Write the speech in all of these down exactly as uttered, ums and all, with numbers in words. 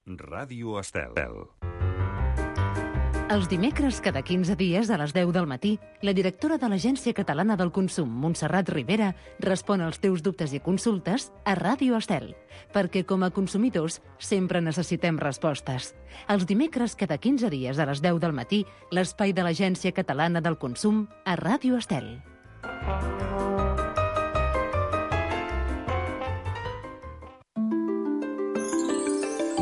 Ràdio Estel. Els dimecres, cada quinze dies, a les deu del matí, la directora de l'Agència Catalana del Consum, Montserrat Rivera, respon als teus dubtes i consultes a Ràdio Estel, perquè com a consumidors sempre necessitem respostes. Els dimecres, cada quinze dies, a les deu del matí, l'espai de l'Agència Catalana del Consum a Ràdio Estel.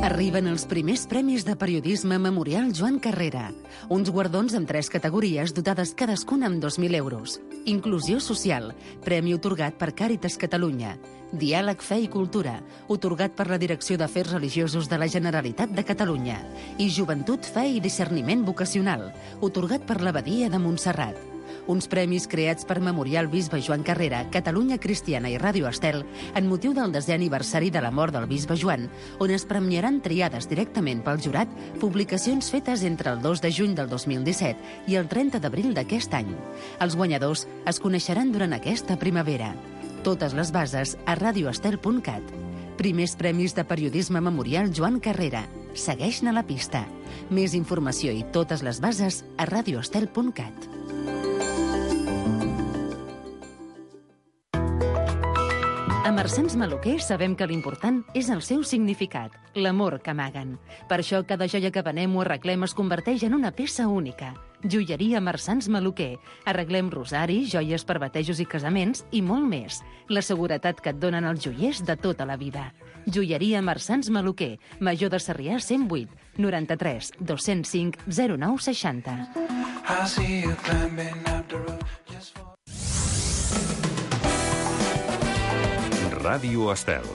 Arriben els primers premis de periodisme Memorial Joan Carrera. Uns guardons amb tres categories dotades cadascuna amb dos mil euros. Inclusió social, premi otorgat per Càritas Catalunya. Diàleg, fe i cultura, otorgat per la Direcció d'Afers Religiosos de la Generalitat de Catalunya. I Joventut, fe i discerniment vocacional, otorgat per l'Abadia de Montserrat. Uns premis creats per Memorial Bisbe Joan Carrera, Catalunya Cristiana i Ràdio Estel en motiu del desè aniversari de la mort del Bisbe Joan, on es premiaran triades directament pel jurat publicacions fetes entre el dos de juny del dos mil disset i el trenta d'abril d'aquest any. Els guanyadors es coneixeran durant aquesta primavera. Totes les bases a radioestel punt cat. Primers premis de periodisme Memorial Joan Carrera. Segueix-ne la pista. Més informació i totes les bases a radioestel punt cat. A Marsans Maluquer sabem que l'important és el seu significat, l'amor que amaguen. Per això cada joia que venem o arreglem es converteix en una peça única. Joieria Marsans Maluquer. Arreglem rosaris, joies per batejos i casaments i molt més. La seguretat que et donen els joiers de tota la vida. Joieria Marsans Maluquer. Major de Sarrià cent vuit, noranta-tres, dos-cents cinc, zero nou seixanta. Ràdio Estel.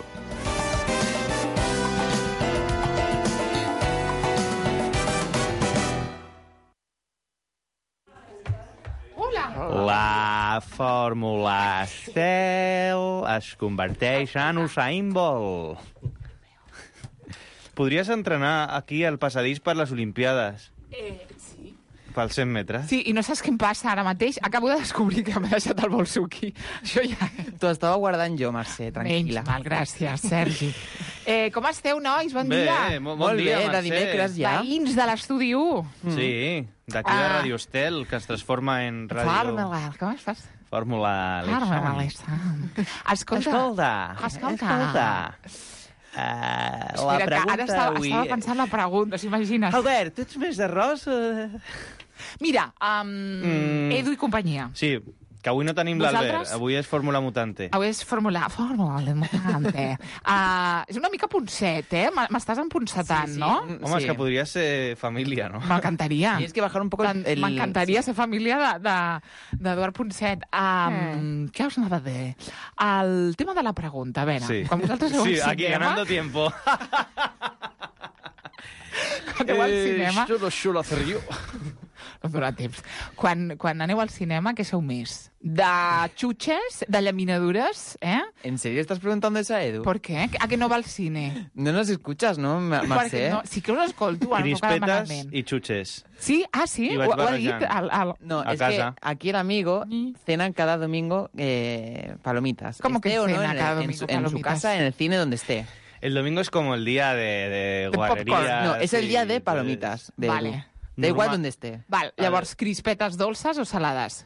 La fórmula Estel es converteix en Usain Bolt. Podries entrenar aquí al passadís per les Olimpiades. Eh, sí. Pels cent metres. Sí, i no saps què em passa ara mateix? Acabo de descobrir que m'he deixat el bolsuqui. Això ja... T'ho estava guardant jo, Mercè, tranquil·la. Menys mal, gràcies, Sergi. Eh, com esteu, nois? Bon Bé, dia. mo- Molt bon dia, bé, de Mercè. dimecres ja. Veïns de l'estudi u. Sí, d'aquí de Ah. Radio Estel, que es transforma en ràdio... Fórmula, com es fas? Fórmula Fórmula, Alexandre. Escolta. Escolta, Escolta. escolta. Uh, la Mira, que pregunta ara estava, avui... estava pensant la pregunta, s'imagines? Albert, tu ets més d'arròs? Uh... Mira, um, Mm. Edu i companyia. Sí, que avui no tenim l'Albert, Vosaltres? avui és Fórmula Mutante. Avui és Fórmula... Fórmula Mutante. uh, és una mica punset, eh? M- M'estàs empunsetant, Sí, sí. no? Mm, Home, és sí. que podria ser família, no? M'encantaria. Tienes que bajar un poco el... el- M'encantaria ser família d'Eduard de, d'Eduard Ponset. Um, Eh. Què us anava a dir? El tema de la pregunta, a veure, Sí, quan vosaltres aneu sí al aquí cinema... ganando tiempo. Quan aneu al cinema... Esto lo suelo hacer yo. No durà temps. Quan, quan aneu al cinema, què sou més? De xutxes? De llaminadures? Eh? ¿En serio estás preguntando eso a Edu? ¿Por qué? A que no va al cine? No nos escuchas, ¿no, Ma- Perquè Mercè? no, sí que us escolto, ara no cal Crispetes malament. i xutxes. Sí? Ah, sí? I Ho, vaig ho ha dit? barrejant. El, el... No, A es casa. que aquí el amigo Mm. cena cada domingo eh, palomitas. ¿Cómo que Esté o no cena en, el- cada en domingo su, en su palomitas? casa, en el cine, donde esté. El domingo es como el día de, de De guarrería. popcorn. No, es el sí, día de pues, palomitas. De Vale. Edu. Da igual Normal. donde esté. Val, llavors, crispetes dolces o salades?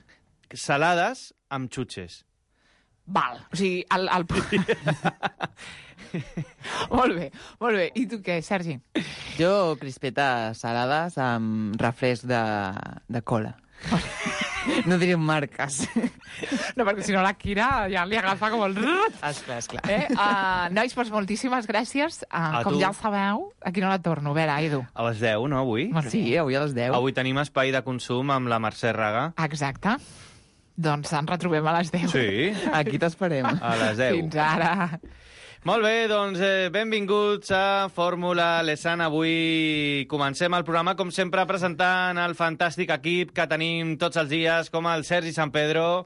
Salades amb xutxes. Val, o sigui, el... el... molt bé, molt bé. I tu què, Sergi? Jo, crispetes salades amb refresc de, de cola. No diré marques. No, perquè si no la Kira ja li agafa com el... Esclar, esclar. Eh? Uh, nois, doncs moltíssimes gràcies. Uh, A com tu. ja el sabeu, aquí no la torno. A veure, Edu. A les deu, no, avui? Molt bé. Sí, avui a les deu. Avui tenim espai de consum amb la Mercè Raga. Exacte. Doncs ens retrobem a les deu. Sí, Aquí t'esperem. a les deu. Fins ara. Molt bé, doncs eh, benvinguts a Fórmula Lesan. Avui comencem el programa, com sempre, presentant el fantàstic equip que tenim tots els dies, com el Sergi Sant Pedro.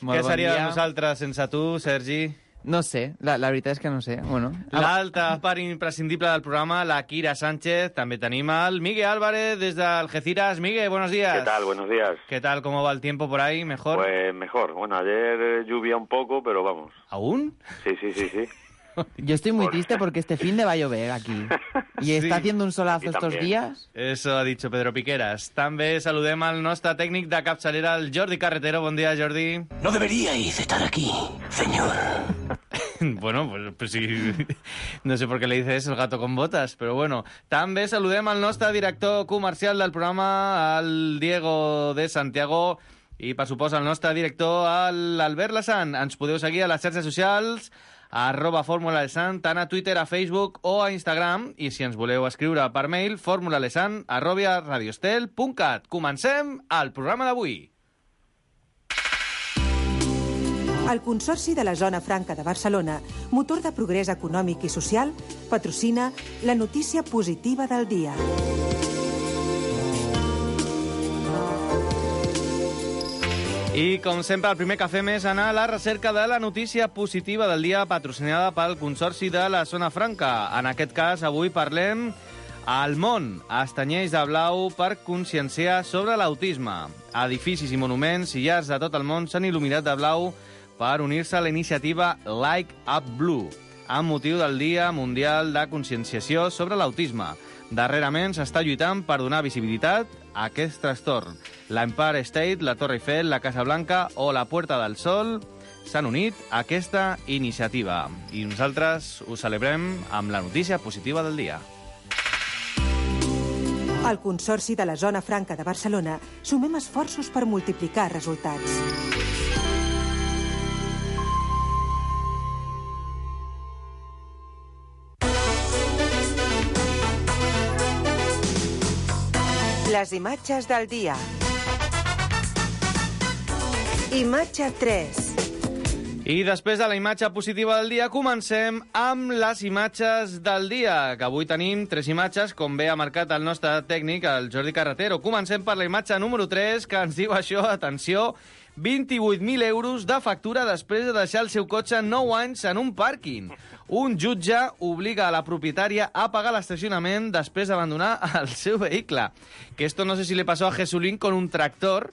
Molt Què bon seria de dia. nosaltres sense tu, Sergi? No sé, la, la veritat és que no sé. Bueno, L'altra part imprescindible del programa, la Kira Sánchez. També tenim al Miguel Álvarez desde Algeciras. Miguel, buenos días. ¿Qué tal? Buenos días. ¿Qué tal? ¿Cómo va el tiempo por ahí? ¿Mejor? Pues mejor. Bueno, ayer eh, lluvia un poco, pero vamos. ¿Aún? Sí, sí, sí, sí. Yo estoy muy triste porque este fin de va a llover aquí. I Sí. està haciendo un solazo Y estos también. días. Eso ha dicho Pedro Piqueras. També saludem al nostre tècnic de capçalera, el Jordi Carretero. Bon dia, Jordi. No deberíais estar aquí, señor. Bueno, pues, pues sí, no sé por qué le dices el gato con botas, però bueno. També saludem al nostre director comercial del programa, el Diego de Santiago, i per supost el nostre director, l'Albert Lassan. Ens podeu seguir a les xarxes socials, arroba Fórmula Lesan, tant a Twitter, a Facebook o a Instagram, i si ens voleu escriure per mail, formulalesan arroba radiostel punt cat. Comencem el programa d'avui. El Consorci de la Zona Franca de Barcelona, motor de progrés econòmic i social, patrocina la notícia positiva del dia. I, com sempre, el primer que fem és anar a la recerca de la notícia positiva del dia patrocinada pel Consorci de la Zona Franca. En aquest cas, avui parlem El món es tenyeix de blau per conscienciar sobre l'autisme. Edificis i monuments i llars de tot el món s'han il·luminat de blau per unir-se a la iniciativa Light Up Blue, amb motiu del Dia Mundial de Conscienciació sobre l'Autisme. Darrerament s'està lluitant per donar visibilitat a aquest trastorn. L'Empire State, la Torre Eiffel, la Casa Blanca o la Puerta del Sol s'han unit a aquesta iniciativa. I nosaltres ho celebrem amb la notícia positiva del dia. Al Consorci de la Zona Franca de Barcelona sumem esforços per multiplicar resultats. Les imatges del dia. Imatge tres. I després de la imatge positiva del dia, comencem amb les imatges del dia, que avui tenim tres imatges, com bé ha marcat el nostre tècnic, el Jordi Carretero. Comencem per la imatge número tres, que ens diu això, atenció, vint-i-vuit mil euros de factura després de deixar el seu cotxe nou anys en un pàrquing. Un jutge obliga a la propietària a pagar l'estacionament després d'abandonar el seu vehicle. Que esto no sé si le pasó a Jesulín con un tractor.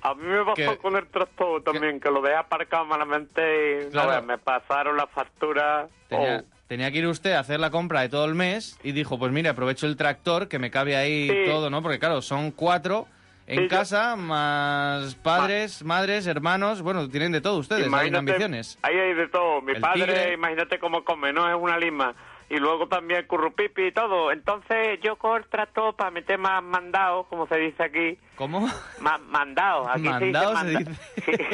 A mí me pasó que, con el tractor también, que, que lo dejé aparcado malamente y claro, no, me pasaron la factura. Tenía, oh. tenía que ir usted a hacer la compra de todo el mes y dijo, pues mire, aprovecho el tractor, que me cabe ahí sí. todo, ¿no? Porque claro, son cuatro en sí, casa, yo... más padres, Ma... madres, hermanos, bueno, tienen de todo ustedes, hay ambiciones. Ahí hay de todo. Mi el padre, tigre. Imagínate cómo come, no es una lima. Y luego también currupipi y todo. Entonces yo cojo el tractor para meter más mandados, como se dice aquí. ¿Cómo? Ma mandados. Aquí mandados se dice. Se dice.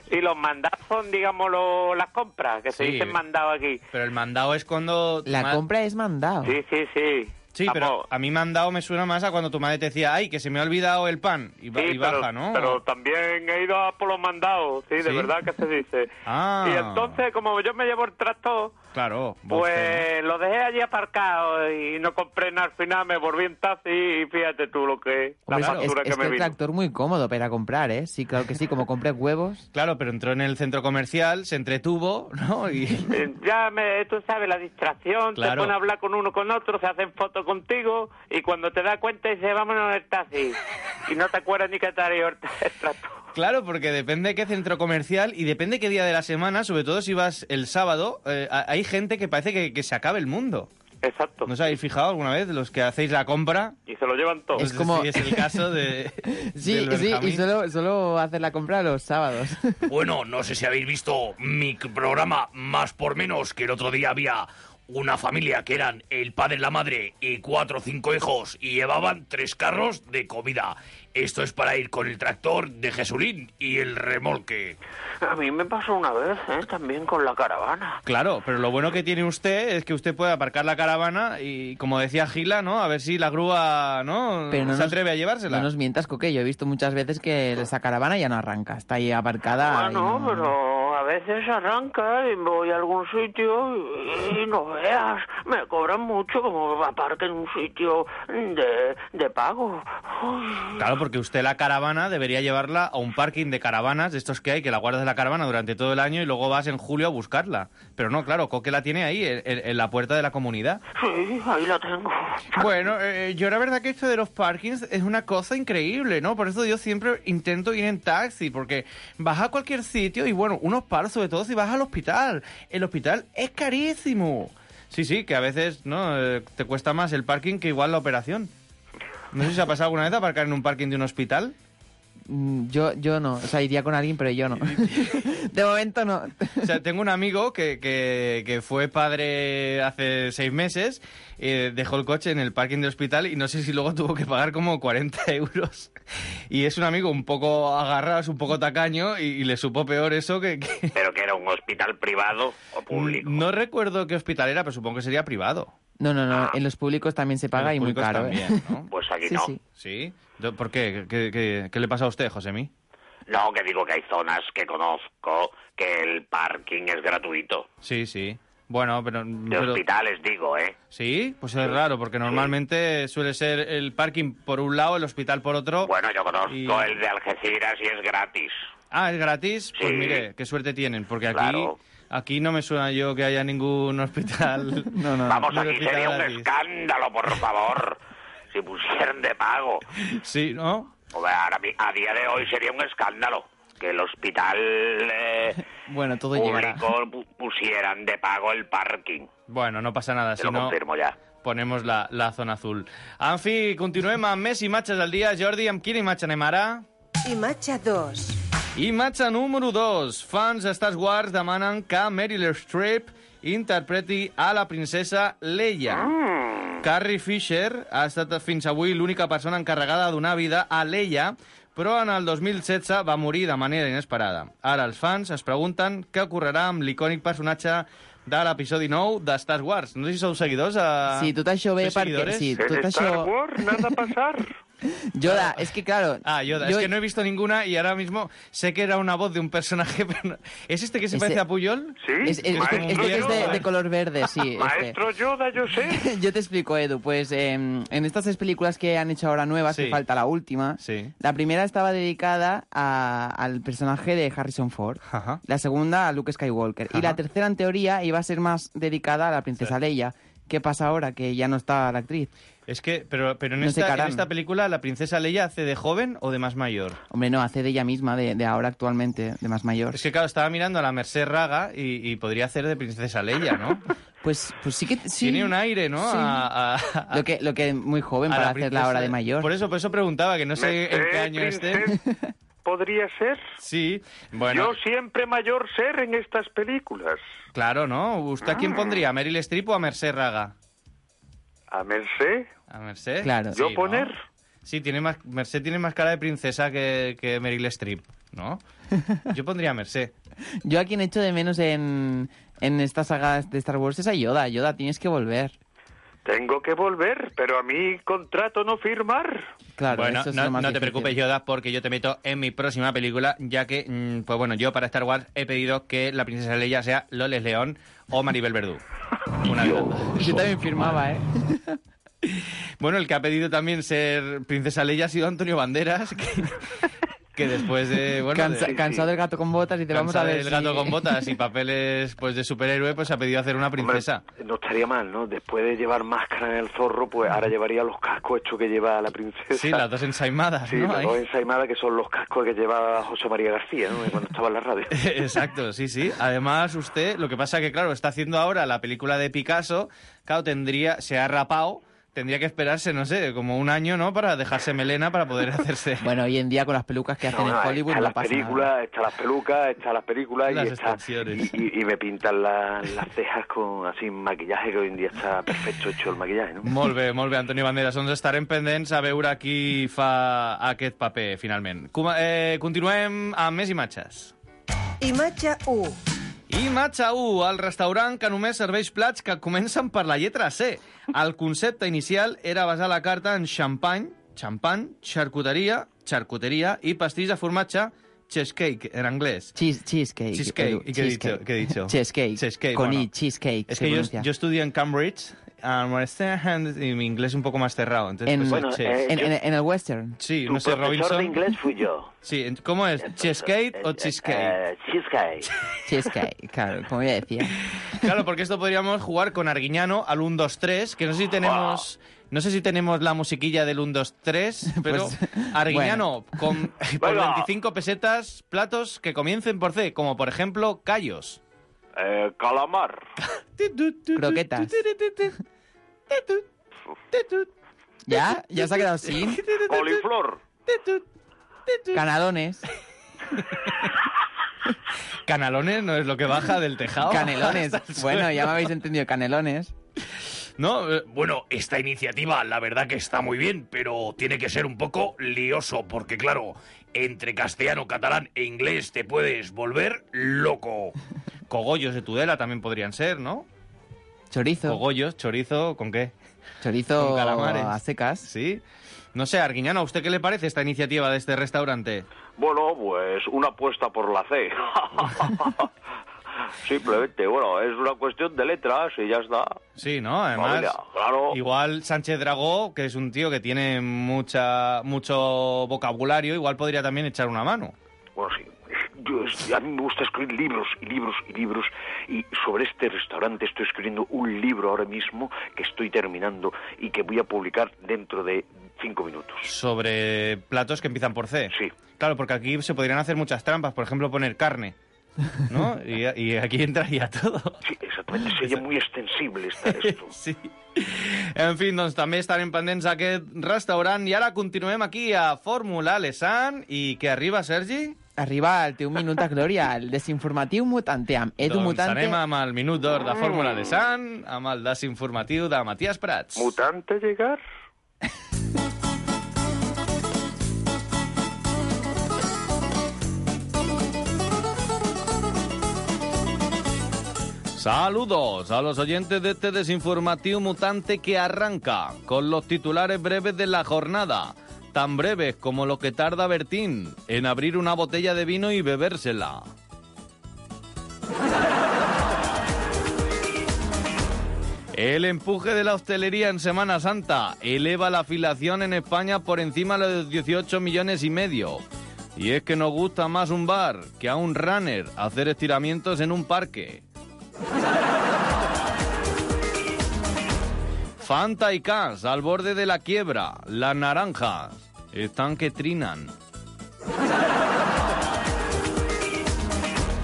Sí. Y los mandados son, digamos, lo, las compras, que se sí, dicen mandados aquí. Pero el mandado es cuando... La ma... compra es mandado. Sí, sí, sí. Sí, Vamos. pero a mí mandado me suena más a cuando tu madre te decía, ay, que se me ha olvidado el pan, y, sí, y baja, pero, ¿no? Pero también he ido a por los mandados, sí, de ¿Sí? verdad que se dice. Ah. Y entonces, como yo me llevo el tractor, claro, pues ¿no? Lo dejé allí aparcado y no compré nada. Al final me volví en taxi y fíjate tú lo que es, la Hombre, factura es, que es me que el vino. tractor muy cómodo para comprar, ¿eh? Sí, claro que sí, como compré huevos. Claro, pero entró en el centro comercial, se entretuvo, ¿no? Y... Ya, me, tú sabes, la distracción, claro. Te ponen a hablar con uno con otro, se hacen fotos contigo y cuando te das cuenta dices, vámonos en el taxi. Y no te acuerdas ni que te haría el tractor. Claro, porque depende de qué centro comercial y depende qué día de la semana, sobre todo si vas el sábado, eh, hay gente que parece que, que se acabe el mundo. Exacto. ¿No os habéis fijado alguna vez, los que hacéis la compra? Y se lo llevan todo. Es como... Sí, es el caso de... Sí, del sí, Benjamín. y solo, solo hacer la compra los sábados. Bueno, no sé si habéis visto mi programa Más por Menos, que el otro día había una familia que eran el padre, la madre y cuatro o cinco hijos y llevaban tres carros de comida. Esto es para ir con el tractor de Jesulín y el remolque. A mí me pasó una vez, ¿eh? También con la caravana. Claro, pero lo bueno que tiene usted es que usted puede aparcar la caravana y, como decía Gila, ¿no? A ver si la grúa, ¿no? Pero no se nos, atreve a llevársela. No nos mientas, Coque. Yo he visto muchas veces que esa caravana ya no arranca. Está ahí aparcada. Ah, no, no, pero a veces arranca y voy a algún sitio y, y no veas. Me cobran mucho como aparque en un sitio de, de pago. Uy. Claro, porque usted la caravana debería llevarla a un parking de caravanas, de estos que hay, que la guardas de la caravana durante todo el año y luego vas en julio a buscarla. Pero no, claro, Coque la tiene ahí, en, en la puerta de la comunidad. Sí, ahí la tengo. Bueno, eh, yo la verdad que esto de los parkings es una cosa increíble, ¿no? Por eso yo siempre intento ir en taxi, porque vas a cualquier sitio y, bueno, unos palos, sobre todo si vas al hospital. El hospital es carísimo. Sí, sí, que a veces no eh, te cuesta más el parking que igual la operación. No sé si se ha pasado alguna vez aparcar en un parking de un hospital. Mm, Yo, yo no, o sea, iría con alguien, pero yo no. De momento no. O sea, tengo un amigo que, que, que fue padre hace seis meses, eh, dejó el coche en el parking del hospital y no sé si luego tuvo que pagar como cuarenta euros. Y es un amigo un poco agarrado, es un poco tacaño y, y le supo peor eso que, que... ¿Pero que era un hospital privado o público? No recuerdo qué hospital era, pero supongo que sería privado. No, no, no, Ah. en los públicos también se paga En y los muy públicos caro, también, ¿eh? ¿no? Pues aquí Sí, no. sí. ¿Sí? ¿Por qué? ¿Qué, qué, qué le pasa a usted, Josemi? No, que digo que hay zonas que conozco que el parking es gratuito. Sí, sí. Bueno, pero... De pero- hospitales, digo, ¿eh? Sí, pues es raro, porque normalmente suele ser el parking por un lado, el hospital por otro. Bueno, yo conozco Y- el de Algeciras y es gratis. Ah, ¿es gratis? Pues Sí. mire, qué suerte tienen, porque aquí, Claro. aquí no me suena yo que haya ningún hospital. No, no, no. Vamos, no aquí hospital sería un gratis. escándalo, por favor, si pusieran de pago. Sí, ¿no? Hombre, ahora, mi- a día de hoy sería un escándalo que el hospital eh, Bueno, todo llegará. público pu- pusieran de pago el parking. Bueno, no passa nada, Te si lo no confirmo ja. ponemos la, la zona azul. En fi, continuem amb més imatges del dia. Jordi, amb quina imatge anem ara? Imatge dos. Imatge número dos. Fans de Star Wars demanen que Meryl Streep interpreti a la princesa Leia. Carrie Fisher ha estat fins avui l'única persona encarregada de donar vida a Leia, però en el dos mil setze va morir de manera inesperada. Ara els fans es pregunten què ocorrerà amb l'icònic personatge de l'episodi nou de Star Wars. No sé si sou seguidors. A... Sí, tot això ve Sois perquè... seguidores? Sí, tot En Star això... Wars nada pasar. Yoda, es que claro... Ah, Yoda. yo- Es que no he visto ninguna y ahora mismo sé que era una voz de un personaje, pero no- ¿Es este que se Ese- parece a Puyol? Sí, Es, es- este, maestro este que es de, Yoda. de color verde, sí. Este. Maestro Yoda, yo sé. Yo te explico, Edu. Pues eh, en estas tres películas que han hecho ahora nuevas, Sí. que falta la última, Sí. la primera estaba dedicada a- al personaje de Harrison Ford, Ajá. la segunda a Luke Skywalker, y Ajá. la tercera, en teoría, iba a ser más dedicada a la princesa Leia. ¿Qué pasa ahora? Que ya no está la actriz. Es que, pero, pero en, No sé, esta, en Karan. esta película, ¿la princesa Leia hace de joven o de más mayor? Hombre, no, hace de ella misma, de, de ahora actualmente, de más mayor. Es que, claro, estaba mirando a la Merced Raga y, y podría hacer de princesa Leia, ¿no? Pues, pues sí que... Sí. Tiene un aire, ¿no? Sí. A, a- a- Lo que, lo que muy joven a para la hacerla princesa- ahora de mayor. Por eso, por eso preguntaba, que no sé en qué Eh, año esté. princesa, ¿podría ser? Sí, bueno, Yo siempre mayor ser en estas películas. claro, ¿no? ¿Usted a quién pondría? ¿A Meryl Streep o a Merced Raga? A Merced, ¿A Merced? Claro. yo Sí, ¿no? poner. Sí, tiene más, Merced tiene más cara de princesa que, que Meryl Streep, ¿no? Yo pondría a Merced. Yo a quien echo de menos en, en esta saga de Star Wars es a Yoda. Yoda, tienes que volver. Tengo que volver, pero a mí contrato no firmar. Claro, Bueno, eso es no, lo más no te difícil. preocupes, Yoda, porque yo te meto en mi próxima película, ya que, mm, pues bueno, yo para Star Wars he pedido que la princesa Leia sea Loles León o Maribel Verdú. Una de las dos. Yo también firmaba, ¿eh? Bueno, el que ha pedido también ser princesa Leia ha sido Antonio Banderas, que, que después de... Bueno, Cansa- de- cansado del gato con botas y te vamos a cansado ver del gato si- con botas y papeles pues de superhéroe, pues ha pedido hacer una princesa. Hombre, no estaría mal, ¿no? Después de llevar máscara en el zorro, pues ahora llevaría los cascos estos que lleva la princesa. Sí, las dos ensaimadas, Sí, ¿no? las Ahí. dos ensaimadas que son los cascos que lleva José María García, ¿no? Cuando estaba en la radio. Exacto, sí, sí. Además, usted, lo que pasa que, claro, está haciendo ahora la película de Picasso, claro, tendría, se ha rapado, tendría que esperarse, no sé, como un año, ¿no?, para dejarse melena para poder hacerse... Bueno, hoy en día con las pelucas que hacen No, en no, Hollywood está no las pasa películas, nada. está las pelucas, está las películas Las y, está, extensiones. y, y- y me pintan la- las cejas con así maquillaje, que hoy en día está perfecto hecho el maquillaje, ¿no? Molt bé, molt bé, Antoni Banderas. Doncs estarem pendents a veure qui fa aquest paper, finalment. Com, eh, continuem amb més imatges. Imatge u. Imatge u, el restaurant que només serveix plats que comencen per la lletra C. El concepte inicial era basar la carta en xampany, xampany, xarcuteria, xarcuteria i pastís de formatge, cheesecake, en anglès. Cheese- cheesecake. Cheesecake. Edu, ¿Y qué he dicho? ¿Qué he dicho? Cheesecake. Cheesecake, Con bueno. I, cheesecake. Es se que yo, pronuncia. yo estudio en Cambridge, uh, Western, y mi inglés un poco más cerrado. Entonces, En, pues, Bueno, chess. eh, en, en- en el western. Sí, Tu no sé, profesor Robinson. de inglés fui yo. Sí, en- ¿cómo es? ¿Cheesecake o cheesecake? Eh, cheesecake. Cheesecake, claro, como ya decía. Claro, porque esto podríamos jugar con Arguiñano al uno, dos, tres, que no sé si tenemos... No sé si tenemos la musiquilla del uno, dos, tres, pero Pues, Arguiñano, con, por Venga. veinticinco pesetas, platos que comiencen por C, como por ejemplo, callos. Eh, calamar. Croquetas. ¿Ya? ¿Ya se ha quedado sin? Coliflor. Canalones. Canalones no es lo que baja del tejado. Canelones. Hasta el Bueno, suelo. ya me habéis entendido, canelones. No, eh, Bueno, esta iniciativa la verdad que está muy bien, pero tiene que ser un poco lioso, porque claro, entre castellano, catalán e inglés te puedes volver loco. cogollos de Tudela también podrían ser, ¿no? Chorizo. Cogollos, chorizo, ¿con qué? Chorizo Con calamares. a secas. Sí. No sé, Arguiñano, ¿a usted qué le parece esta iniciativa de este restaurante? Bueno, pues una apuesta por la C. Simplemente, bueno, es una cuestión de letras y ya está. Sí, ¿no? Además, Familia, claro. igual Sánchez Dragó, que es un tío que tiene mucha mucho vocabulario, igual podría también echar una mano. Bueno, sí. Yo, es- a mí me gusta escribir libros y libros y libros, y sobre este restaurante estoy escribiendo un libro ahora mismo que estoy terminando y que voy a publicar dentro de cinco minutos. Sobre platos que empiezan por C. Sí. Claro, porque aquí se podrían hacer muchas trampas, por ejemplo, poner carne, ¿no? Y, y aquí entraría todo. Sí, exactamente. Sería muy extensible esta, esto. Sí. En fi, doncs també estarem pendents d'aquest restaurant i ara continuem aquí a Fórmula Lesan i que arriba, Sergi? Arriba el teu minut de glòria, el desinformatiu mutante amb Edu doncs Mutante. anem amb el minut d'or de Fórmula Lesan, amb el desinformatiu de Matías Prats. ¿Mutante llegar? Saludos a los oyentes de este desinformativo mutante que arranca con los titulares breves de la jornada, tan breves como lo que tarda Bertín en abrir una botella de vino y bebérsela. El empuje de la hostelería en Semana Santa eleva la afiliación en España por encima de los dieciocho millones y medio. Y es que nos gusta más un bar que a un runner hacer estiramientos en un parque. Fanta y Cas al borde de la quiebra. Las naranjas están que trinan.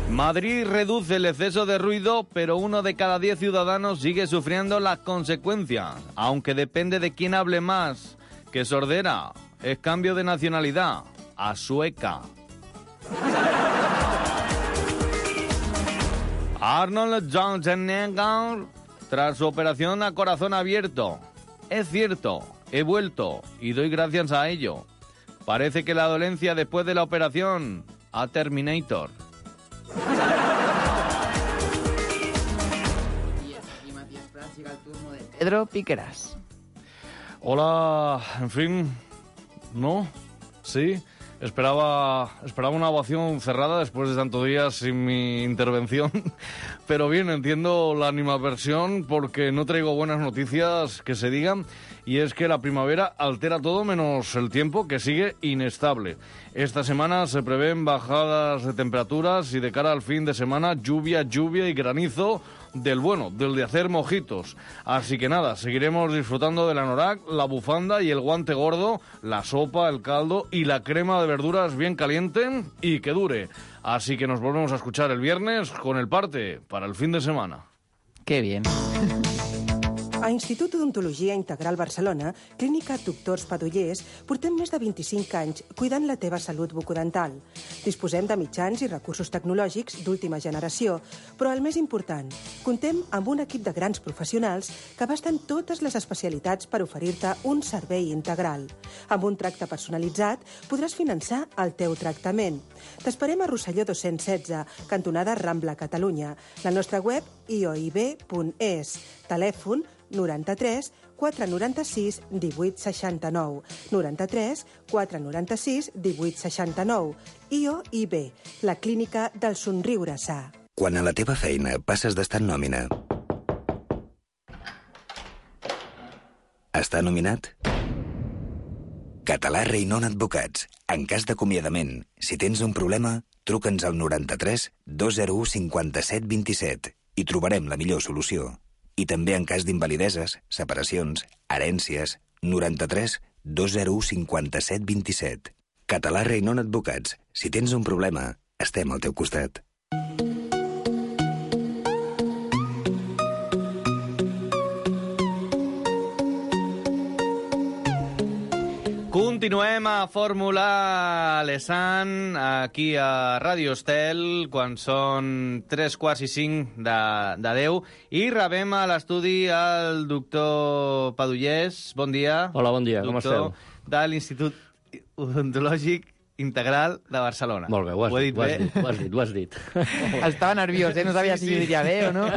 Madrid reduce el exceso de ruido, pero uno de cada diez ciudadanos sigue sufriendo las consecuencias, aunque depende de quién hable más. Que sordera es cambio de nacionalidad a sueca. Arnold Schwarzenegger tras su operación a corazón abierto. Es cierto, he vuelto y doy gracias a ello. Parece que la dolencia después de la operación a Terminator. Y Matías Prats llega el turno de Pedro Piqueras. Hola, en fin, ¿no? Sí, esperaba, esperaba una ovación cerrada después de tantos días sin mi intervención, pero bien, entiendo la animadversión porque no traigo buenas noticias que se digan, y es que la primavera altera todo menos el tiempo, que sigue inestable. Esta semana se prevén bajadas de temperaturas y de cara al fin de semana lluvia, lluvia y granizo del bueno, del de hacer mojitos. Así que nada, seguiremos disfrutando del anorak, la bufanda y el guante gordo, la sopa, el caldo y la crema de verduras bien caliente y que dure. Así que nos volvemos a escuchar el viernes con el parte para el fin de semana. Qué bien. A Institut d'Odontologia Integral Barcelona, Clínica Doctors Padollers, portem més de vint-i-cinc anys cuidant la teva salut bucodental. Disposem de mitjans i recursos tecnològics d'última generació, però el més important, contem amb un equip de grans professionals que abasten totes les especialitats per oferir-te un servei integral. Amb un tracte personalitzat podràs finançar el teu tractament. T'esperem a Rosselló dos-cents setze, cantonada Rambla, Catalunya. La nostra web i o i be punt es. Telèfon noranta-tres quatre noranta-sis divuit seixanta-nou. noranta-tres quatre noranta-sis divuit seixanta-nou. I o i be, la clínica del somriure sa. Quan a la teva feina passes d'estar en nòmina Està nominat? Català Reinon Advocats. En cas d'acomiadament, si tens un problema, truca'ns al noranta-tres dos zero u cinquanta-set vint-i-set i trobarem la millor solució. I també en cas d'invalideses, separacions, herències, noranta-tres dos zero u cinquanta-set vint-i-set. Català Reinon Advocats. Si tens un problema, estem al teu costat. Continuem a Fórmula Lesan, aquí a Ràdio Estel, quan són tres quarts i cinc de, de deu, i rebem a l'estudi el doctor Padullés. Bon dia. Hola, bon dia, doctor com esteu? De l'Institut Odontològic Integral de Barcelona. Molt bé, ho has, ho he dit, dit ho bé? has dit, ho has dit, ho has dit. Estava nerviós, eh? No sabia Sí, si sí. ho diria bé o no.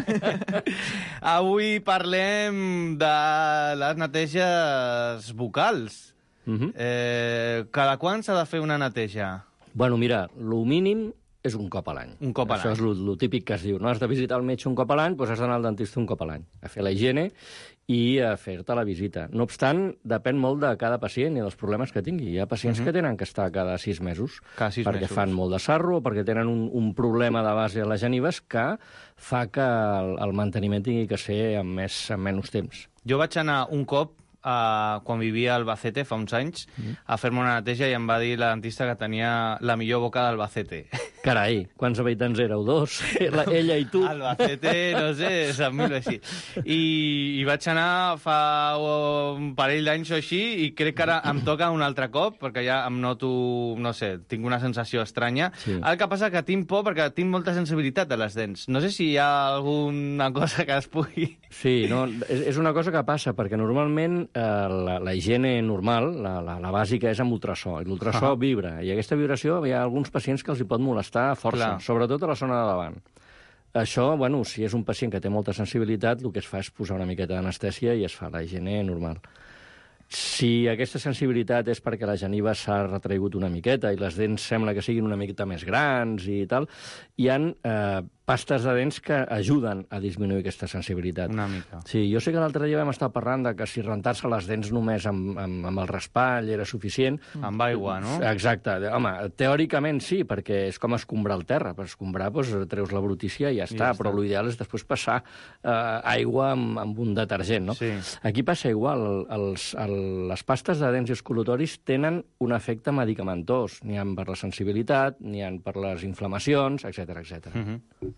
Avui parlem de les neteges vocals. Uh -huh. Eh, cada quan s'ha de fer una neteja? Bueno, mira, lo mínim és un cop a l'any. Un cop a Això l'any. és lo, lo típic que es diu. No has de visitar el metge un cop a l'any, doncs has d'anar al dentista un cop a l'any, a fer la higiene i a fer-te la visita. No obstant, depèn molt de cada pacient i dels problemes que tingui. Hi ha pacients uh -huh. que tenen que estar cada sis mesos Cada sis perquè mesos. fan molt de sarro o perquè tenen un, un problema de base a les genives que fa que el, el manteniment tingui que ser amb, més, amb menys temps. Jo vaig anar un cop, uh, quan vivia a Albacete, fa uns anys, mm. a fer-me una neteja i em va dir la dentista que tenia la millor boca d'Albacete. Carai, quants habitants éreu? Dos? La, ella i tu? Albacete, no sé, se'n mil així. I, I vaig anar fa un parell d'anys o així i crec que ara em toca un altre cop perquè ja em noto, no sé, tinc una sensació estranya. Sí. El que passa que tinc por perquè tinc molta sensibilitat a les dents. No sé si hi ha alguna cosa que es pugui... Sí, no, és, és una cosa que passa, perquè normalment eh, la, la higiene normal, la, la, la bàsica, és amb ultrasò, i l'ultrasò Ah. vibra, i aquesta vibració hi ha alguns pacients que els hi pot molestar força, Clar. sobretot a la zona de davant. Això, bueno, si és un pacient que té molta sensibilitat, el que es fa és posar una miqueta d'anestèsia i es fa la higiene normal. Si aquesta sensibilitat és perquè la geniva s'ha retraigut una miqueta i les dents sembla que siguin una miqueta més grans i tal, hi ha eh, pastes de dents que ajuden a disminuir aquesta sensibilitat. Una mica. Sí, jo sé que l'altre dia vam estar parlant de que si rentar-se les dents només amb, amb, amb el raspall era suficient. Amb aigua, no? Exacte. Home, teòricament sí, perquè és com escombrar el terra. Per escombrar, doncs, treus la brutícia i ja està, ja però està. l'ideal és després passar eh, aigua amb, amb un detergent, no? Sí. Aquí passa igual. El, els, el, les pastes de dents i escolotoris tenen un efecte medicamentós. N'hi ha per la sensibilitat, n'hi ha per les inflamacions, etcètera, etcètera. Mm -hmm.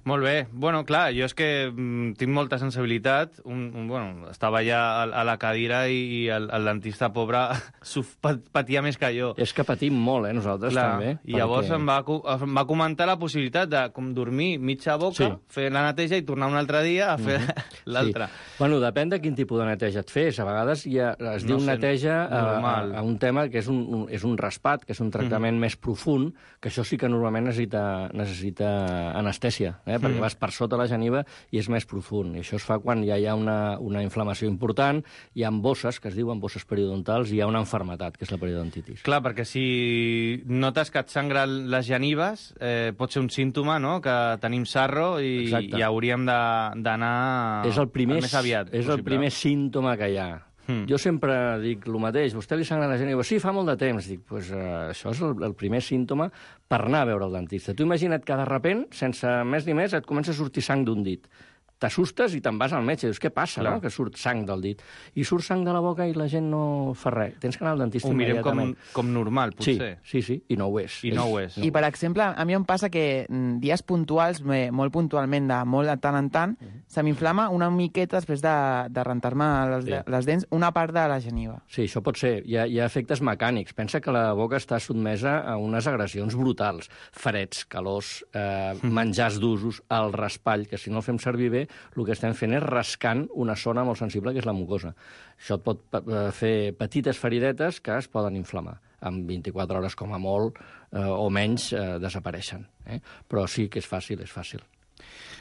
Molt bé. Bueno, clar, jo és que mm, tinc molta sensibilitat. Un, un, bueno, estava ja a, a la cadira i, i el, el dentista, pobre, suf- pat- patia més que jo. És que patim molt, eh, nosaltres Clar, també. i llavors em va, co- em va comentar la possibilitat de com dormir mitja boca, Sí. fer la neteja i tornar un altre dia a fer l'altra. Sí. Bueno, depèn de quin tipus de neteja et fes. A vegades ja es No diu sé, neteja a, a, normal. a un tema que és un, un, és un raspat, que és un tractament més profund, que això sí que normalment necessita, necessita anestèsia, eh? perquè vas per sota la geniva i és més profund. I això es fa quan ja hi ha una, una inflamació important, hi ha bosses, que es diuen bosses periodontals, i hi ha una enfermetat, que és la periodontitis. Clar, perquè si notes que et sangren les genives, eh, pot ser un símptoma, no?, que tenim sarro i, Exacte. i hauríem de- d'anar És el primer, més aviat és el possible. primer símptoma que hi ha. Hmm. Jo sempre dic el mateix, vostè li sangra la geniva? Sí, fa molt de temps. Dic, pues, uh, això és el, el primer símptoma per anar a veure el dentista. Tu imagina't que de repent, sense més ni més, et comença a sortir sang d'un dit. T'assustes i te'n vas al metge. Dius, què passa, Clar. no?, que surt sang del dit. I surt sang de la boca i la gent no fa res. Tens que anar al dentista Ho mirem com, immediatament. com normal, potser. Sí, sí, sí, i no ho és. I no ho és. I, per exemple, a mi em passa que mm, dies puntuals, me- molt puntualment, de molt de tant en tant, se m'inflama una miqueta després de, de rentar-me les, Sí. les dents una part de la geniva. Sí, això pot ser. Hi ha, hi ha efectes mecànics. Pensa que la boca està sotmesa a unes agressions brutals. Freds, calors, eh, menjars d'usos, el raspall, que si no el fem servir bé, el que estem fent és rascant una zona molt sensible, que és la mucosa. Això et pot eh, fer petites feridetes que es poden inflamar. En vint-i-quatre hores, com a molt, eh, o menys, eh, desapareixen. Eh? Però sí que és fàcil, és fàcil.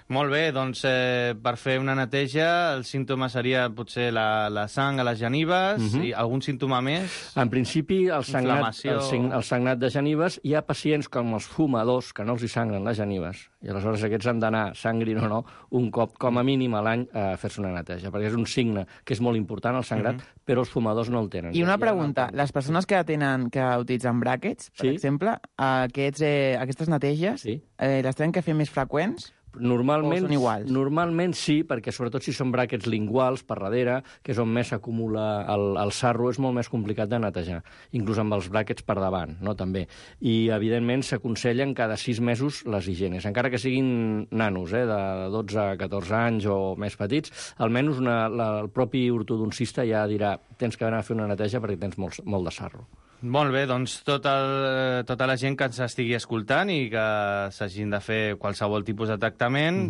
Molt bé, doncs eh, per fer una neteja el símptoma seria potser la, la sang a les genives, uh -huh. i algun símptoma més? En principi, el sagnat, Inflamació. el, sign- el sagnat de genives, hi ha pacients com els fumadors que no els hi sangren les genives, i aleshores aquests han d'anar, sangrin o no, un cop com a mínim a l'any a fer-se una neteja, perquè és un signe que és molt important, el sangrat, uh -huh. però els fumadors no el tenen. I una Hi ha pregunta, les persones que tenen que utilitzen bràquets, per Sí. exemple, aquests, eh, aquestes neteges, Sí. eh, les tenen que fer més freqüents? Normalment, O són iguals? normalment sí, perquè sobretot si són bràquets linguals per darrere, que és on més s'acumula el, el sarro, és molt més complicat de netejar, inclús amb els bràquets per davant, no? També. I, evidentment, s'aconsellen cada sis mesos les higienes, encara que siguin nanos, eh, de dotze a catorze anys o més petits, almenys una, la, el propi ortodoncista ja dirà tens que anar a fer una neteja perquè tens molt, molt de sarro. Molt bé, doncs tot el, tota la gent que ens estigui escoltant i que s'hagin de fer qualsevol tipus de tractament,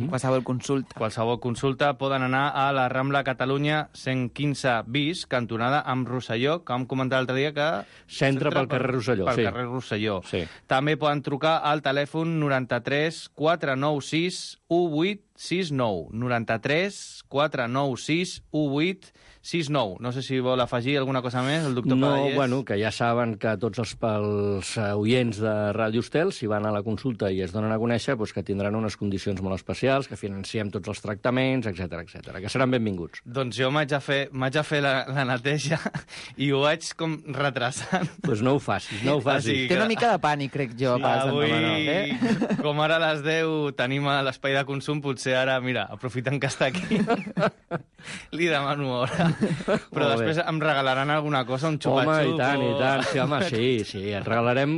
Mm-hmm. Qualsevol consulta. qualsevol consulta, poden anar a la Rambla Catalunya cent quinze bis, cantonada amb Rosselló, que vam comentar l'altre dia que... S'entra pel carrer Rosselló, pel sí. carrer Rosselló. Sí. També poden trucar al telèfon noranta-tres quatre nou sis u vuit sis nou. noranta-tres quatre nou sis u vuit sis nou. No sé si vol afegir alguna cosa més, el doctor No, Padallés. bueno, que ja saben que tots els, els oients de Ràdio Estel, si van a la consulta i es donen a conèixer, doncs que tindran unes condicions molt especials, que financiem tots els tractaments, etcètera, etcètera, que seran benvinguts. Doncs jo m'haig de fer, m'haig de fer la, la neteja i ho vaig com retrasant. Doncs pues no ho facis, no ho facis. Així Té una mica de pànic, crec jo, pel Sant Avui, Manol, eh? com ara a les deu tenim a l'espai de consum, potser ara, mira, aprofitant que està aquí, li demano hora. Però Molt bé. després em regalaran alguna cosa, un xupa-xup. Home, i tant, o... i tant. Sí, home, sí, sí, et regalarem...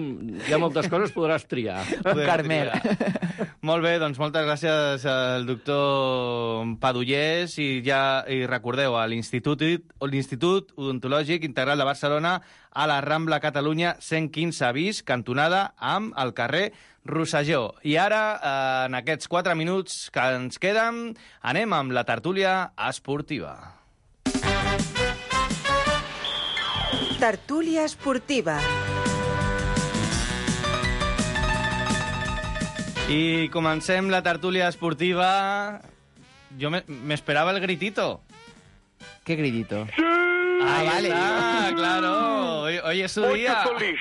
Hi ha moltes coses, podràs triar. Podem Carmel. triar. Molt bé, doncs moltes gràcies al doctor Padullés i ja i recordeu, a l'Institut l'Institut Odontològic Integral de Barcelona, a la Rambla Catalunya cent quinze bis, cantonada amb el carrer Rosselló. I ara, eh, en aquests quatre minuts que ens queden, anem amb la tertúlia esportiva. Tertúlia esportiva. I comencem la tertúlia esportiva. Jo me- m'esperava el gritito. Qué gritito. Ah, vale. está, claro. Hoy, hoy es su Muito día. feliz.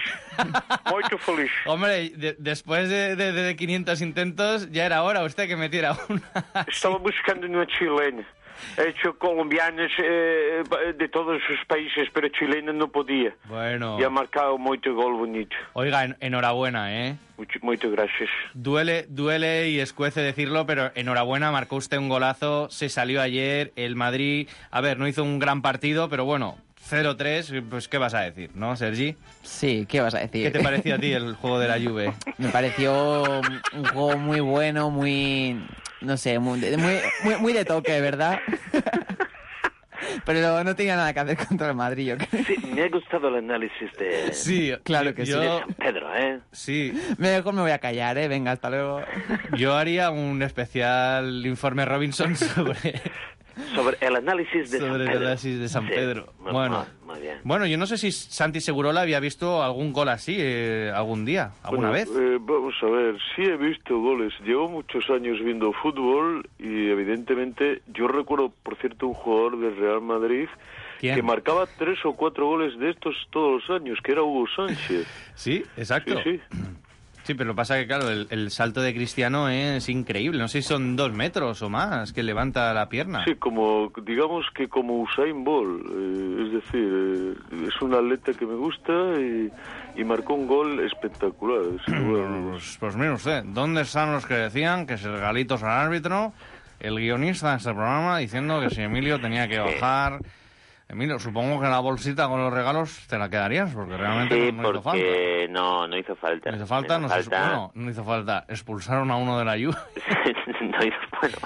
Muito feliz. Hombre, de- después de, de, de quinientos intentos, ya era hora usted que metiera una. Estaba buscando una chilena. He hecho colombianas eh, de todos los países, pero chilena no podía. Bueno. Y ha marcado mucho gol bonito. Oiga, en- enhorabuena, ¿eh? Mucho, muchas gracias. Duele, duele y escuece decirlo, pero enhorabuena, marcó usted un golazo, se salió ayer, el Madrid, a ver, no hizo un gran partido, pero bueno, cero tres, pues ¿qué vas a decir, no, Sergi? Sí, ¿qué vas a decir? ¿Qué te pareció a ti el juego de la Juve? Me pareció un juego muy bueno, muy... No sé, muy, muy, muy, muy de toque, ¿verdad? Pero no tenía nada que hacer contra el Madrid, yo creo. Sí, me ha gustado el análisis de, Sí, Claro que yo, de San Pedro, ¿eh? Sí, Mejor me voy a callar, ¿eh? Venga, hasta luego. yo haría un especial informe Robinson sobre... Sobre el análisis de Sobre San el Pedro. análisis de San Sí, Pedro. muy- Bueno. muy bien. Bueno, yo no sé si Santi Segurola había visto algún gol así eh, algún día, alguna Bueno, vez. eh, vamos a ver, sí he visto goles. Llevo muchos años viendo fútbol y evidentemente yo recuerdo, por cierto, un jugador del Real Madrid ¿Quién? que marcaba tres o cuatro goles de estos todos los años, que era Hugo Sánchez. Sí, exacto. Sí, sí. Sí, pero lo que pasa es que, claro, el, el salto de Cristiano es increíble. No sé si son dos metros o más que levanta la pierna. Sí, como, digamos que como Usain Bolt, eh, es decir, eh, es un atleta que me gusta y, y marcó un gol espectacular. sin lugar a dudas. Pues, pues mire usted, ¿dónde están los que decían que si regalitos al árbitro, el guionista de este programa diciendo que si Emilio tenía que bajar... Emilio, supongo que la bolsita con los regalos te la quedarías, porque realmente Sí, no, no hizo falta. porque no, no hizo falta. No hizo falta, no, hizo se- falta. bueno, no hizo falta. Expulsaron a uno de la Juve no hizo, bueno.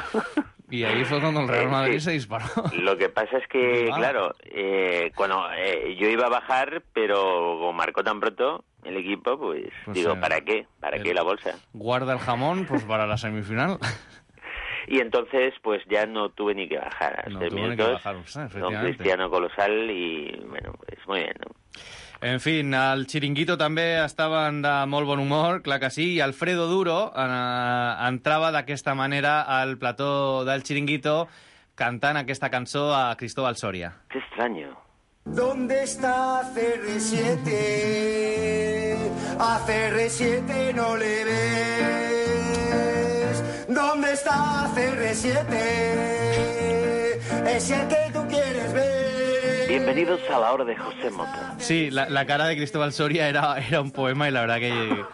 y ahí fue cuando el Real Eh, Madrid sí. se disparó. Lo que pasa es que, Ah. claro, eh, cuando eh, yo iba a bajar, pero como marcó tan pronto el equipo, pues, Pues, digo, eh, ¿para qué? ¿Para el- qué la bolsa? Guarda el jamón pues para la semifinal. Y entonces, pues ya no tuve ni que bajar. A No seis tuvo ni que minutos, bajar, sí, don efectivamente. Cristiano colosal y, bueno, pues muy bien, ¿no? En fin, al Chiringuito també estaven de molt bon humor, clar que sí, i Alfredo Duro eh, entrava d'aquesta manera al plató del Chiringuito cantant aquesta cançó a Cristóbal Soria. Qué extraño. ¿Dónde está C R siete? A C R siete no le ves. ¿Dónde está C R siete? Es el que tú quieres ver. Bienvenidos a la hora de José Mota. Sí, la, la cara de Cristóbal Soria era, era un poema y la verdad que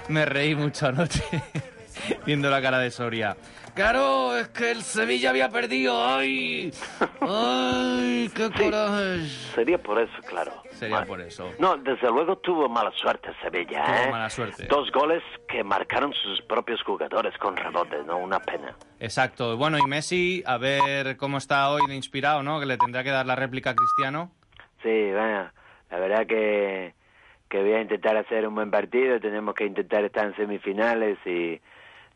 me reí mucho anoche viendo la cara de Soria. Claro, es que el Sevilla había perdido. ¡Ay! ¡Ay! ¡Qué coraje! Sería por eso, claro. Sería Vale. por eso. No, desde luego tuvo mala suerte Sevilla, Tuvo ¿eh? mala suerte. Dos goles que marcaron sus propios jugadores con rebote, ¿no? Una pena. Exacto. Bueno, y Messi, a ver cómo está hoy de inspirado, ¿no? Que le tendrá que dar la réplica a Cristiano. Sí, bueno, la verdad que, que voy a intentar hacer un buen partido. Tenemos que intentar estar en semifinales y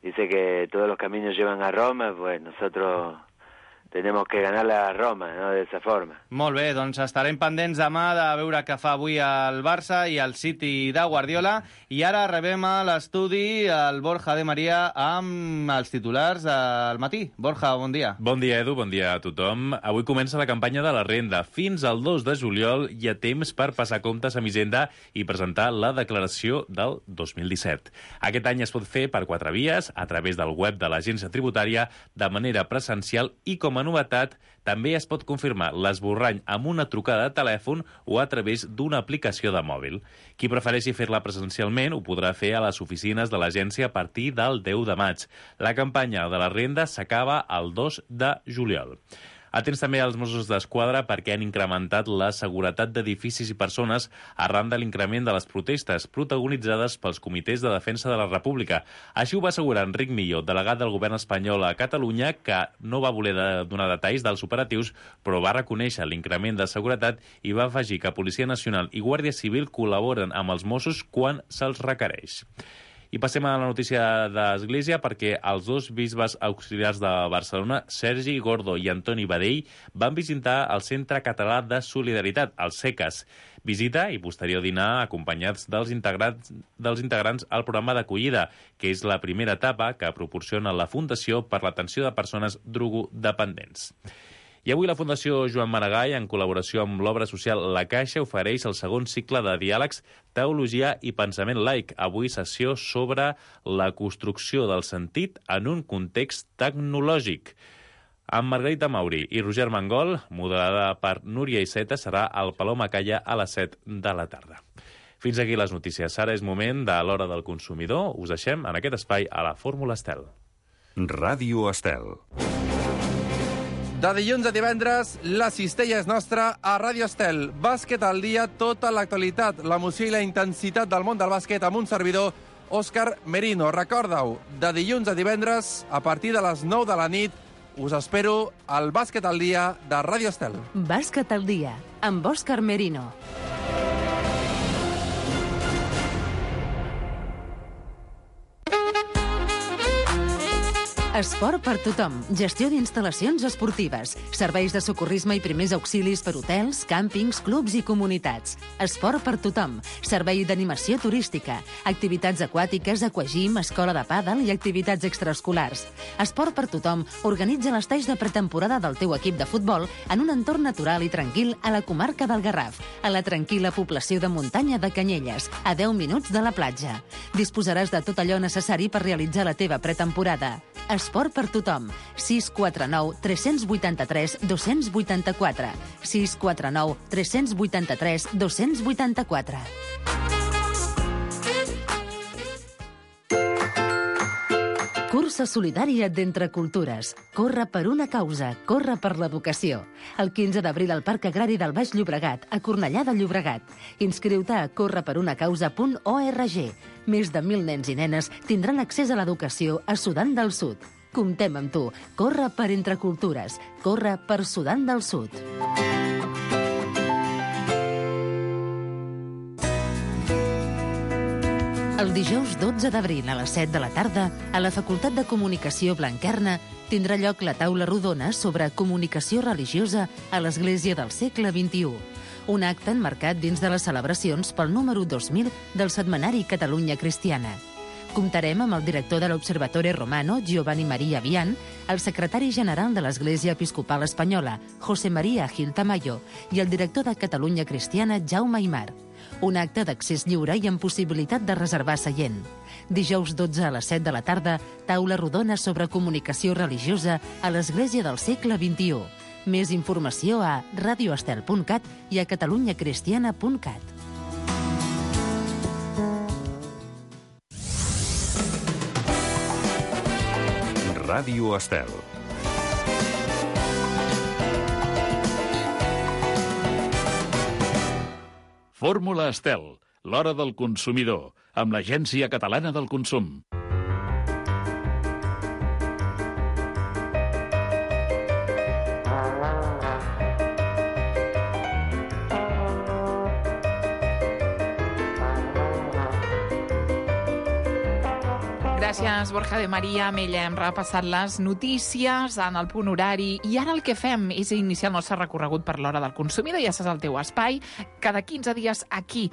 dice que todos los caminos llevan a Roma, pues nosotros tenemos que ganarle a Roma, ¿no? De esa forma. Molt bé, doncs estarem pendents demà de veure què fa avui el Barça i el City de Guardiola. I ara rebem a l'estudi el Borja de Maria amb els titulars del matí. Borja, bon dia. Bon dia, Edu, bon dia a tothom. Avui comença la campanya de la renda. Fins al dos de juliol hi ha temps per passar comptes amb Hisenda i presentar la declaració del dos mil disset. Aquest any es pot fer per quatre vies, a través del web de l'agència tributària, de manera presencial i, com a novetat, també es pot confirmar l'esborrany amb una trucada de telèfon o a través d'una aplicació de mòbil. Qui prefereixi fer-la presencialment ho podrà fer a les oficines de l'agència a partir del deu de maig. La campanya de la renda s'acaba el dos de juliol. Atents també als Mossos d'Esquadra perquè han incrementat la seguretat d'edificis i persones arran de l'increment de les protestes protagonitzades pels comitès de defensa de la República. Així ho va assegurar Enric Millo, delegat del govern espanyol a Catalunya, que no va voler donar detalls dels operatius, però va reconèixer l'increment de seguretat i va afegir que Policia Nacional i Guàrdia Civil col·laboren amb els Mossos quan se'ls requereix. I passem a la notícia d'Església perquè els dos bisbes auxiliars de Barcelona, Sergi Gordo i Antoni Badell, van visitar el Centre Català de Solidaritat, el SECAS. Visita i posterior dinar acompanyats dels integrants, dels integrants al programa d'acollida, que és la primera etapa que proporciona la Fundació per l'Atenció de Persones Drogodependents. I avui la Fundació Joan Maragall, en col·laboració amb l'obra social La Caixa, ofereix el segon cicle de diàlegs Teologia i Pensament Laic. Avui sessió sobre la construcció del sentit en un context tecnològic. Amb Margarita Mauri i Roger Mangol, moderada per Núria Iceta, serà al Palau Macaya a les set de la tarda. Fins aquí les notícies. Ara és moment de l'Hora del Consumidor. Us deixem en aquest espai a la Fórmula Estel. Ràdio Estel. De dilluns a divendres, la cistella és nostra a Ràdio Estel. Bàsquet al dia, tota l'actualitat, l'emoció i la intensitat del món del bàsquet amb un servidor, Òscar Merino. Recorda-ho, de dilluns a divendres, a partir de les nou de la nit, us espero al Bàsquet al dia de Ràdio Estel. Bàsquet al dia, amb Òscar Merino. Esport per tothom. Gestió d'instal·lacions esportives. Serveis de socorrisme i primers auxilis per hotels, càmpings, clubs i comunitats. Esport per tothom. Servei d'animació turística. Activitats aquàtiques, aquagym, escola de pàdel i activitats extraescolars. Esport per tothom organitza l'estaix de pretemporada del teu equip de futbol en un entorn natural i tranquil a la comarca del Garraf, a la tranquil·la població de muntanya de Canyelles, a deu minuts de la platja. Disposaràs de tot allò necessari per realitzar la teva pretemporada. Esport per tothom. sis quatre nou tres vuit tres dos vuit quatre. sis quatre nou tres vuit tres dos vuit quatre. Cursa solidària d'Entre Cultures. Corre per una causa, corre per l'educació. El quinze d'abril al Parc Agrari del Baix Llobregat, a Cornellà de Llobregat. Inscriu-te a corre per una causa punt org. Més de mil nens i nenes tindran accés a l'educació a Sudan del Sud. Comptem amb tu. Corre per Entre Cultures. Corre per Sudan del Sud. El dijous dotze d'abril a les set de la tarda, a la Facultat de Comunicació Blanquerna, tindrà lloc la taula rodona sobre comunicació religiosa a l'Església del segle vint-i-u. Un acte enmarcat dins de les celebracions pel número dos mil del setmanari Catalunya Cristiana. Comptarem amb el director de l'Observatore Romano, Giovanni Maria Vian, el secretari general de l'Església Episcopal Espanyola, José María Gil Tamayo, i el director de Catalunya Cristiana, Jaume Aymar. Un acte d'accés lliure i amb possibilitat de reservar seient. Dijous dotze a les set de la tarda, taula rodona sobre comunicació religiosa a l'Església del segle vint-i-u. Més informació a radioestel punt cat i a catalunyacristiana punt cat. Ràdio Estel. Fórmula Estel, l'hora del consumidor, amb l'Agència Catalana del Consum. Gràcies, Borja de Maria. Amb ella hem repassat les notícies en el punt horari i ara el que fem és iniciar el nostre recorregut per l'hora del consumidor. Ja saps el teu espai, cada quinze dies aquí,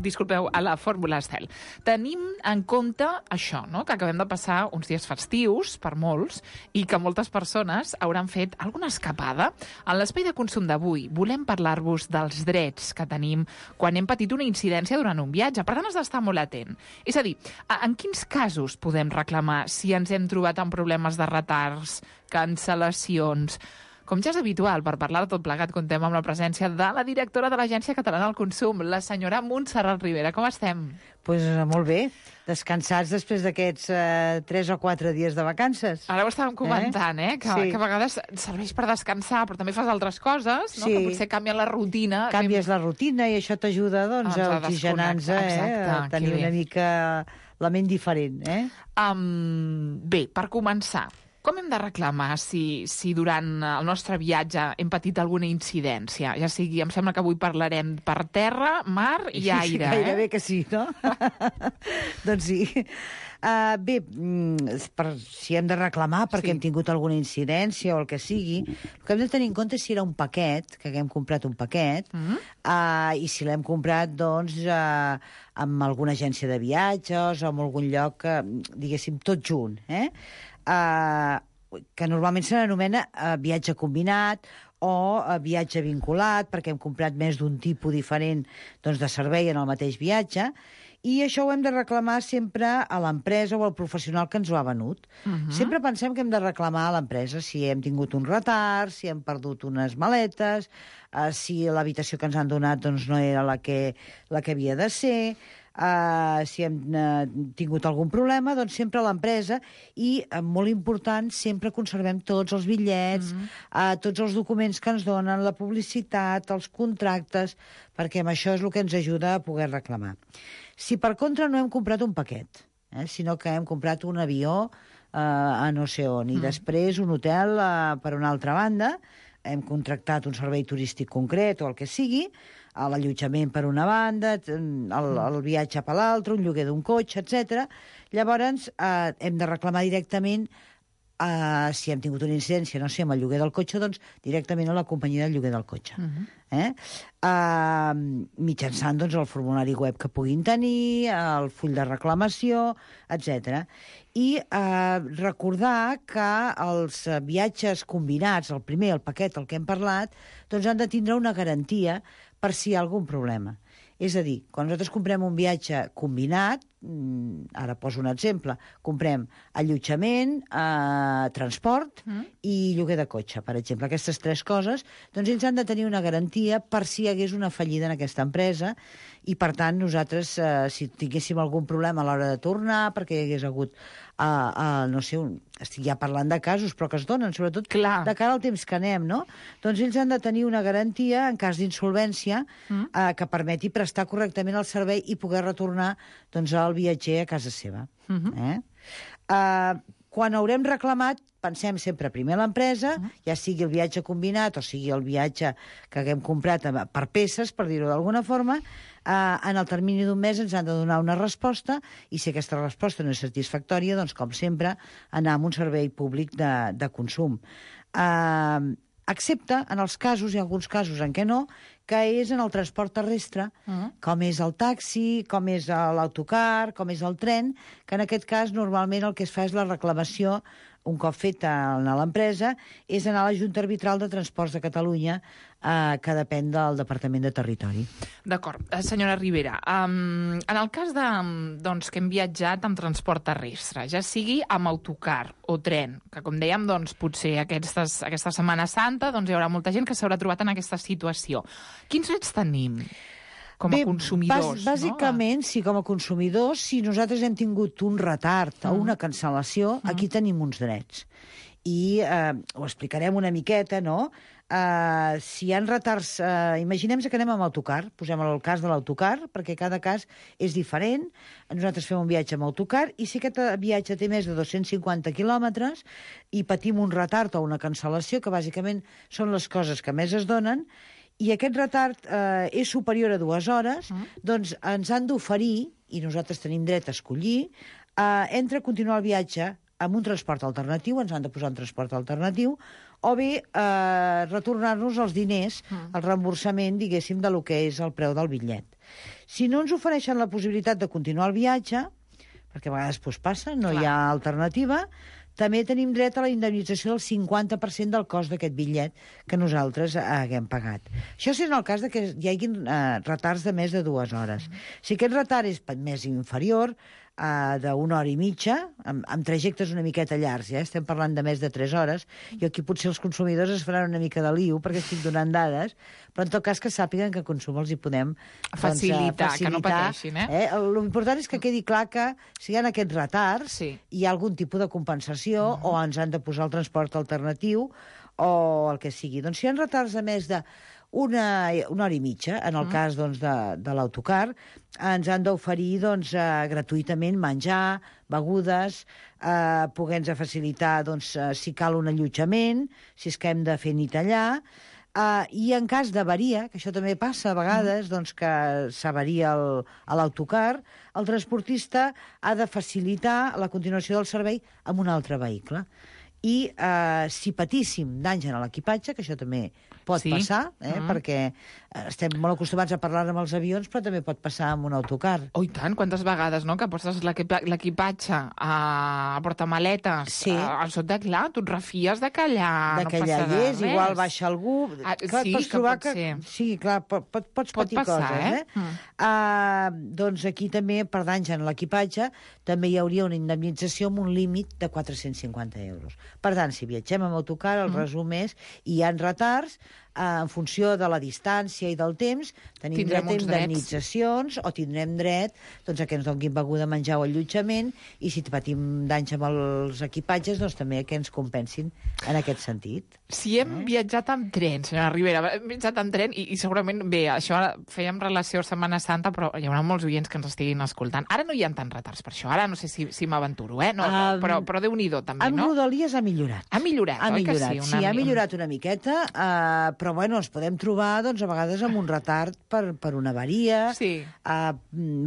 disculpeu, a la Fórmula Estel. Tenim en compte això, no? Que acabem de passar uns dies festius, per molts, i que moltes persones hauran fet alguna escapada. En l'espai de consum d'avui volem parlar-vos dels drets que tenim quan hem patit una incidència durant un viatge. Per tant, has d'estar molt atent. És a dir, en quins casos podem reclamar si ens hem trobat amb problemes de retards, cancel·lacions? Com ja és habitual, per parlar de tot plegat, contem amb la presència de la directora de l'Agència Catalana del Consum, la senyora Montserrat Rivera. Com estem? Pues molt bé, descansats després d'aquests eh, tres o quatre dies de vacances. Ara ho estàvem comentant, eh? eh? Que, sí. que a vegades serveix per descansar, però també fas altres coses, no? Sí. Que potser canvien la rutina. Canvies la rutina i això t'ajuda doncs, a oxigenar-nos, eh? A tenir una mica la ment diferent, eh? Um, bé, per començar, com hem de reclamar si, si durant el nostre viatge hem patit alguna incidència? Ja sigui, em sembla que avui parlarem per terra, mar i aire. Sí, gairebé eh? que sí, no? Doncs sí. Uh, bé, per, si hem de reclamar perquè sí. hem tingut alguna incidència o el que sigui, el que hem de tenir en compte és si era un paquet, que haguem comprat un paquet, mm-hmm. uh, i si l'hem comprat, doncs, uh, amb alguna agència de viatges o en algun lloc, uh, diguéssim, tot junt, eh? Uh, que normalment se n'anomena uh, viatge combinat o uh, viatge vinculat, perquè hem comprat més d'un tipus diferent doncs, de servei en el mateix viatge, i això ho hem de reclamar sempre a l'empresa o al professional que ens ho ha venut. Uh-huh. Sempre pensem que hem de reclamar a l'empresa si hem tingut un retard, si hem perdut unes maletes, uh, si l'habitació que ens han donat doncs, no era la que, la que havia de ser, Uh, si hem uh, tingut algun problema, doncs sempre a l'empresa i, uh, molt important, sempre conservem tots els bitllets, mm-hmm. uh, tots els documents que ens donen, la publicitat, els contractes, perquè amb això és el que ens ajuda a poder reclamar. Si per contra no hem comprat un paquet, eh, sinó que hem comprat un avió uh, a no sé on, i mm. després un hotel uh, per una altra banda, hem contractat un servei turístic concret o el que sigui, l'allotjament per una banda, el, el viatge per l'altra, un lloguer d'un cotxe, etcètera. Llavors, eh, hem de reclamar directament, eh, si hem tingut una incidència, no sé, amb el lloguer del cotxe, doncs directament a la companyia del lloguer del cotxe. Uh-huh. eh? Eh, mitjançant doncs, el formulari web que puguin tenir, el full de reclamació, etcètera. I eh, recordar que els viatges combinats, el primer, el paquet, el que hem parlat, doncs han de tindre una garantia per si hi ha algun problema. És a dir, quan nosaltres comprem un viatge combinat, ara poso un exemple, comprem allotjament, eh, transport mm. i lloguer de cotxe, per exemple. Aquestes tres coses, doncs ells han de tenir una garantia per si hi hagués una fallida en aquesta empresa i, per tant, nosaltres, eh, si tinguéssim algun problema a l'hora de tornar, perquè hi hagués hagut, eh, eh, no sé, un, estic ja parlant de casos, però que es donen, sobretot Clar. de cara al temps que anem, no? Doncs ells han de tenir una garantia, en cas d'insolvència, mm. eh, que permeti prestar correctament el servei i poder retornar doncs, al viatger a casa seva. Mm-hmm. eh? Uh, quan haurem reclamat, pensem sempre primer l'empresa, uh -huh. ja sigui el viatge combinat o sigui el viatge que haguem comprat per peces, per dir-ho d'alguna forma, eh, en el termini d'un mes ens han de donar una resposta i si aquesta resposta no és satisfactòria, doncs, com sempre, anar a un servei públic de, de consum. Eh, excepte en els casos, hi ha alguns casos en què no, que és en el transport terrestre, uh -huh. com és el taxi, com és l'autocar, com és el tren, que en aquest cas normalment el que es fa és la reclamació, un cop feta a l'empresa, és anar a la Junta Arbitral de Transports de Catalunya, eh, que depèn del Departament de Territori. D'acord. Senyora Rivera, um, en el cas de, doncs, que hem viatjat amb transport terrestre, ja sigui amb autocar o tren, que com dèiem, doncs, potser aquestes, aquesta Setmana Santa doncs, hi haurà molta gent que s'haurà trobat en aquesta situació. Quins drets tenim com a Bé, consumidors? Bàs, bàsicament, no? sí, com a consumidors, si nosaltres hem tingut un retard o una cancel·lació, mm. aquí tenim uns drets. I eh, ho explicarem una miqueta, no? Uh, si hi ha retards... Uh, Imaginem-se que anem amb autocar, posem el cas de l'autocar, perquè cada cas és diferent. Nosaltres fem un viatge amb autocar i si aquest viatge té més de dos-cents cinquanta quilòmetres i patim un retard o una cancel·lació, que bàsicament són les coses que més es donen, i aquest retard eh, és superior a dues hores, mm. doncs ens han d'oferir, i nosaltres tenim dret a escollir, eh, entre continuar el viatge amb un transport alternatiu, ens han de posar un transport alternatiu, o bé eh, retornar-nos els diners, mm. el reemborsament, diguéssim, de lo que és el preu del bitllet. Si no ens ofereixen la possibilitat de continuar el viatge, perquè a vegades pues, passa, no Clar. hi ha alternativa, també tenim dret a la indemnització del cinquanta per cent del cost d'aquest bitllet que nosaltres haguem pagat. Això és en el cas de que hi hagi eh, retards de més de dues hores. Mm. Si aquest retard és més inferior, Uh, d'una hora i mitja, amb, amb trajectes una miqueta llargs, ja estem parlant de més de tres hores, i aquí potser els consumidors es faran una mica de liu, perquè estic donant dades, però en tot cas que sàpiguen que a consum els hi podem facilitar, doncs, facilitar que no pateixin. Eh? Eh? L'important és que quedi clar que si hi ha aquests retards, sí. hi ha algun tipus de compensació, uh -huh. o ens han de posar el transport alternatiu, o el que sigui. Doncs si hi ha retards de més de Una, una hora i mitja, en el mm. cas doncs, de, de l'autocar, ens han d'oferir doncs, eh, gratuïtament menjar, begudes, eh, poder-nos facilitar doncs, eh, si cal un allotjament, si és que hem de fer nit allà, eh, i en cas d'avaria, que això també passa a vegades, mm. doncs, que s'avaria el, a l'autocar, el transportista ha de facilitar la continuació del servei amb un altre vehicle. I eh, si patíssim danys en l'equipatge, que això també pot sí. passar, eh, mm. perquè estem molt acostumats a parlar amb els avions, però també pot passar amb un autocar. Oh, i tant, quantes vegades, no?, que poses l'equipatge a portamaletes, sí. a, a sota, clar, tu et refies de que allà de que no allà passa hi és, res. igual baixa algú... Ah, clar, sí, pots que trobar pot que, ser. Sí, clar, pot, pot, pots pot patir passar, coses, eh? eh? Mm. Uh, doncs aquí també, per danys en l'equipatge, també hi hauria una indemnització amb un límit de quatre-cents cinquanta euros. Per tant, si viatgem amb autocar, el mm. resum és, i hi ha retards, Uh, en funció de la distància i del temps, tenim tindrem dret a indemnitzacions drets. O tindrem dret doncs, a que ens donin beguda, menjar o allotjament, i si patim danys amb els equipatges, doncs també que ens compensin en aquest sentit. Si hem eh? viatjat amb tren, senyora Rivera, hem viatjat amb tren i, i segurament, bé, això fèiem relació a Setmana Santa, però hi haurà molts oients que ens estiguin escoltant. Ara no hi ha tants retards per això, ara no sé si, si m'aventuro, eh? No, um, però, però Déu-n'hi-do també, amb no? Amb Rodalies ha millorat. Ha millorat, ha oi millorat, que sí? Una... Sí, ha millorat una miqueta, uh, però bueno, ens podem trobar doncs, a vegades amb un retard per, per una avaria, sí. uh,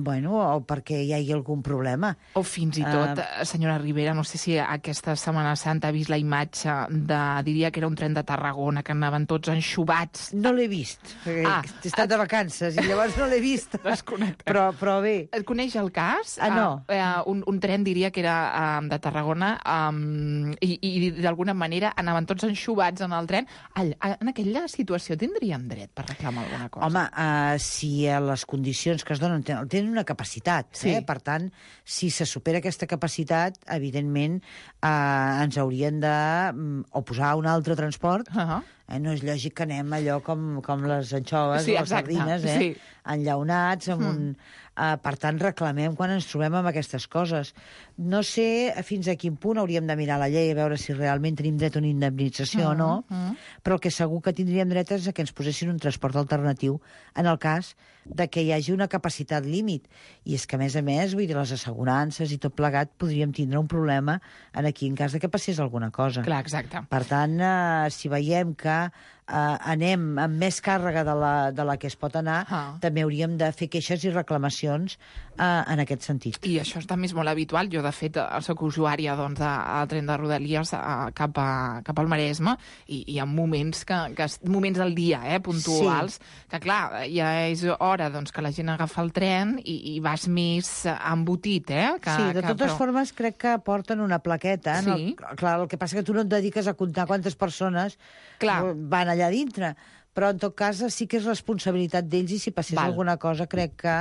bueno, o perquè hi hagi algun problema. O fins i tot, uh, senyora Rivera, no sé si aquesta Setmana Santa ha vist la imatge de, diria que era un tren de Tarragona, que anaven tots enxubats. No l'he vist, perquè ah, he estat de vacances i llavors no l'he vist. però, però bé. Et coneix el cas? Ah, no. Uh, uh, un, un tren, diria que era uh, de Tarragona, um, i, i d'alguna manera anaven tots enxubats en el tren. All, en aquella situació tindríem dret per reclamar alguna cosa? Home, uh, si a les condicions que es donen tenen, tenen una capacitat, sí. eh? Per tant, si se supera aquesta capacitat, evidentment uh, ens haurien de um, o posar un altre transport, uh -huh. Eh? No és lògic que anem allò com, com les anxoves Sí, o les exacte, sardines, eh? sí. enllaunats, amb Mm. un... Uh, per tant, reclamem quan ens trobem amb aquestes coses. No sé fins a quin punt hauríem de mirar la llei a veure si realment tenim dret a una indemnització Mm, o no, mm. però el que segur que tindríem dret és a que ens posessin un transport alternatiu en el cas de que hi hagi una capacitat límit. I és que, a més a més, vull dir, les assegurances i tot plegat podríem tindre un problema en aquí en cas de que passés alguna cosa. Clar, exacte. Per tant, eh, si veiem que eh, anem amb més càrrega de la, de la que es pot anar, Ah. també hauríem de fer queixes i reclamacions eh, en aquest sentit. I això també és molt habitual. Jo, de fet, soc usuària doncs, del tren de Rodalies eh, cap, a, cap al Maresme i hi ha moments, que, que, moments del dia eh, puntuals sí. que, clar, ja és hora doncs, que la gent agafa el tren i, i vas més embotit. Eh, que, Sí, de que, totes però... formes crec que porten una plaqueta. No? Sí. Clar, el que passa que tu no et dediques a comptar quantes persones Clar. van allà dintre. Però, en tot cas, sí que és responsabilitat d'ells i si passés Val. alguna cosa crec que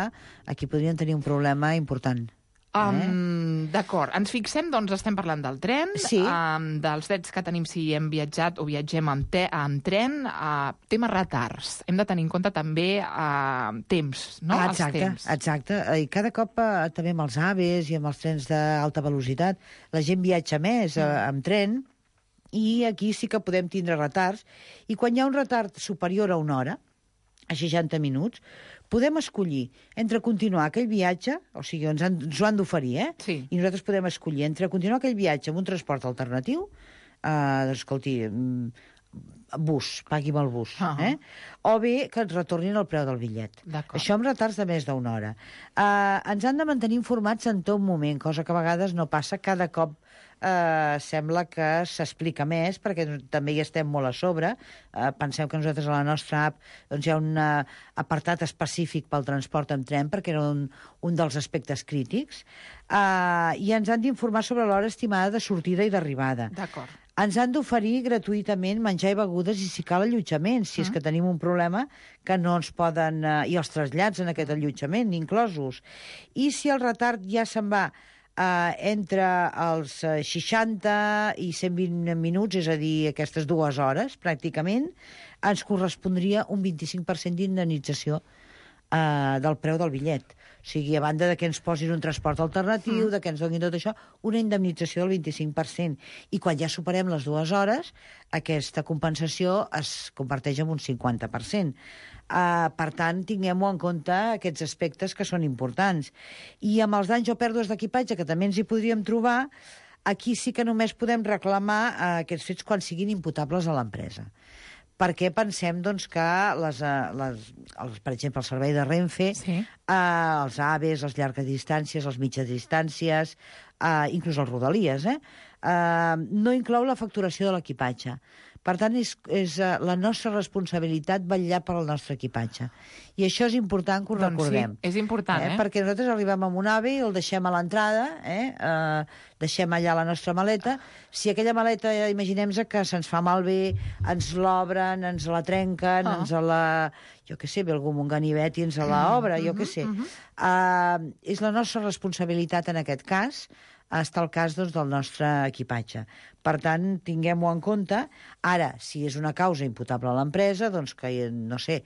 aquí podrien tenir un problema important. Um, D'acord. Ens fixem, doncs, estem parlant del tren, Sí. um, dels drets que tenim si hem viatjat o viatgem amb, te amb tren, uh, tema retards. Hem de tenir en compte també uh, temps, no? Ah, Els exacte, temps. exacte. I cada cop eh, també amb els AVEs i amb els trens d'alta velocitat la gent viatja més eh, amb tren i aquí sí que podem tindre retards. I quan hi ha un retard superior a una hora, a seixanta minuts, podem escollir entre continuar aquell viatge, o sigui, ens, han, ens ho han d'oferir, eh? Sí. I nosaltres podem escollir entre continuar aquell viatge amb un transport alternatiu, eh, doncs, escolti, mm, bus, pagui amb el bus, Ah. eh? O bé que ens retornin el preu del bitllet. D'acord. Això amb retards de més d'una hora. Eh, ens han de mantenir informats en tot moment, cosa que a vegades no passa cada cop. Eh, sembla que s'explica més, perquè també hi estem molt a sobre. Eh, penseu que nosaltres a la nostra app doncs, hi ha un eh, apartat específic pel transport en tren, perquè era un, un dels aspectes crítics, eh, i ens han d'informar sobre l'hora estimada de sortida i d'arribada. D'acord. Ens han d'oferir gratuïtament menjar i begudes i, si cal, allotjament, si és que tenim un problema que no ens poden... Eh, i els trasllats en aquest allotjament, inclosos. I si el retard ja se'n va eh, entre els eh, seixanta i cent vint minuts, és a dir, aquestes dues hores, pràcticament, ens correspondria un vint-i-cinc per cent d'indemnització eh, del preu del bitllet. O sigui, a banda de que ens posin un transport alternatiu, mm. de que ens donin tot això, una indemnització del vint-i-cinc per cent. I quan ja superem les dues hores, aquesta compensació es converteix en un cinquanta per cent. Uh, per tant, tinguem-ho en compte aquests aspectes que són importants. I amb els danys o pèrdues d'equipatge, que també ens hi podríem trobar, aquí sí que només podem reclamar uh, aquests fets quan siguin imputables a l'empresa. Perquè pensem doncs, que, les, les, els, per exemple, el servei de Renfe, sí. eh, els AVEs, les llargues distàncies, les mitges distàncies, eh, inclús els Rodalies, eh, eh, no inclou la facturació de l'equipatge. Per tant, és, és la nostra responsabilitat vetllar per al nostre equipatge. I això és important que ho doncs recordem. Sí, és important, eh? eh? Perquè nosaltres arribem amb un AVE i el deixem a l'entrada, eh? eh? deixem allà la nostra maleta. Si aquella maleta, imaginem-nos que se'ns fa malbé, ens l'obren, ens la trenquen, Ah. ens la... jo què sé, ve algú amb un ganivet i ens la obre, jo què sé. mhm. Uh, és la nostra responsabilitat en aquest cas, està el cas doncs, del nostre equipatge. Per tant, tinguem-ho en compte. Ara, si és una causa imputable a l'empresa, doncs que, no sé,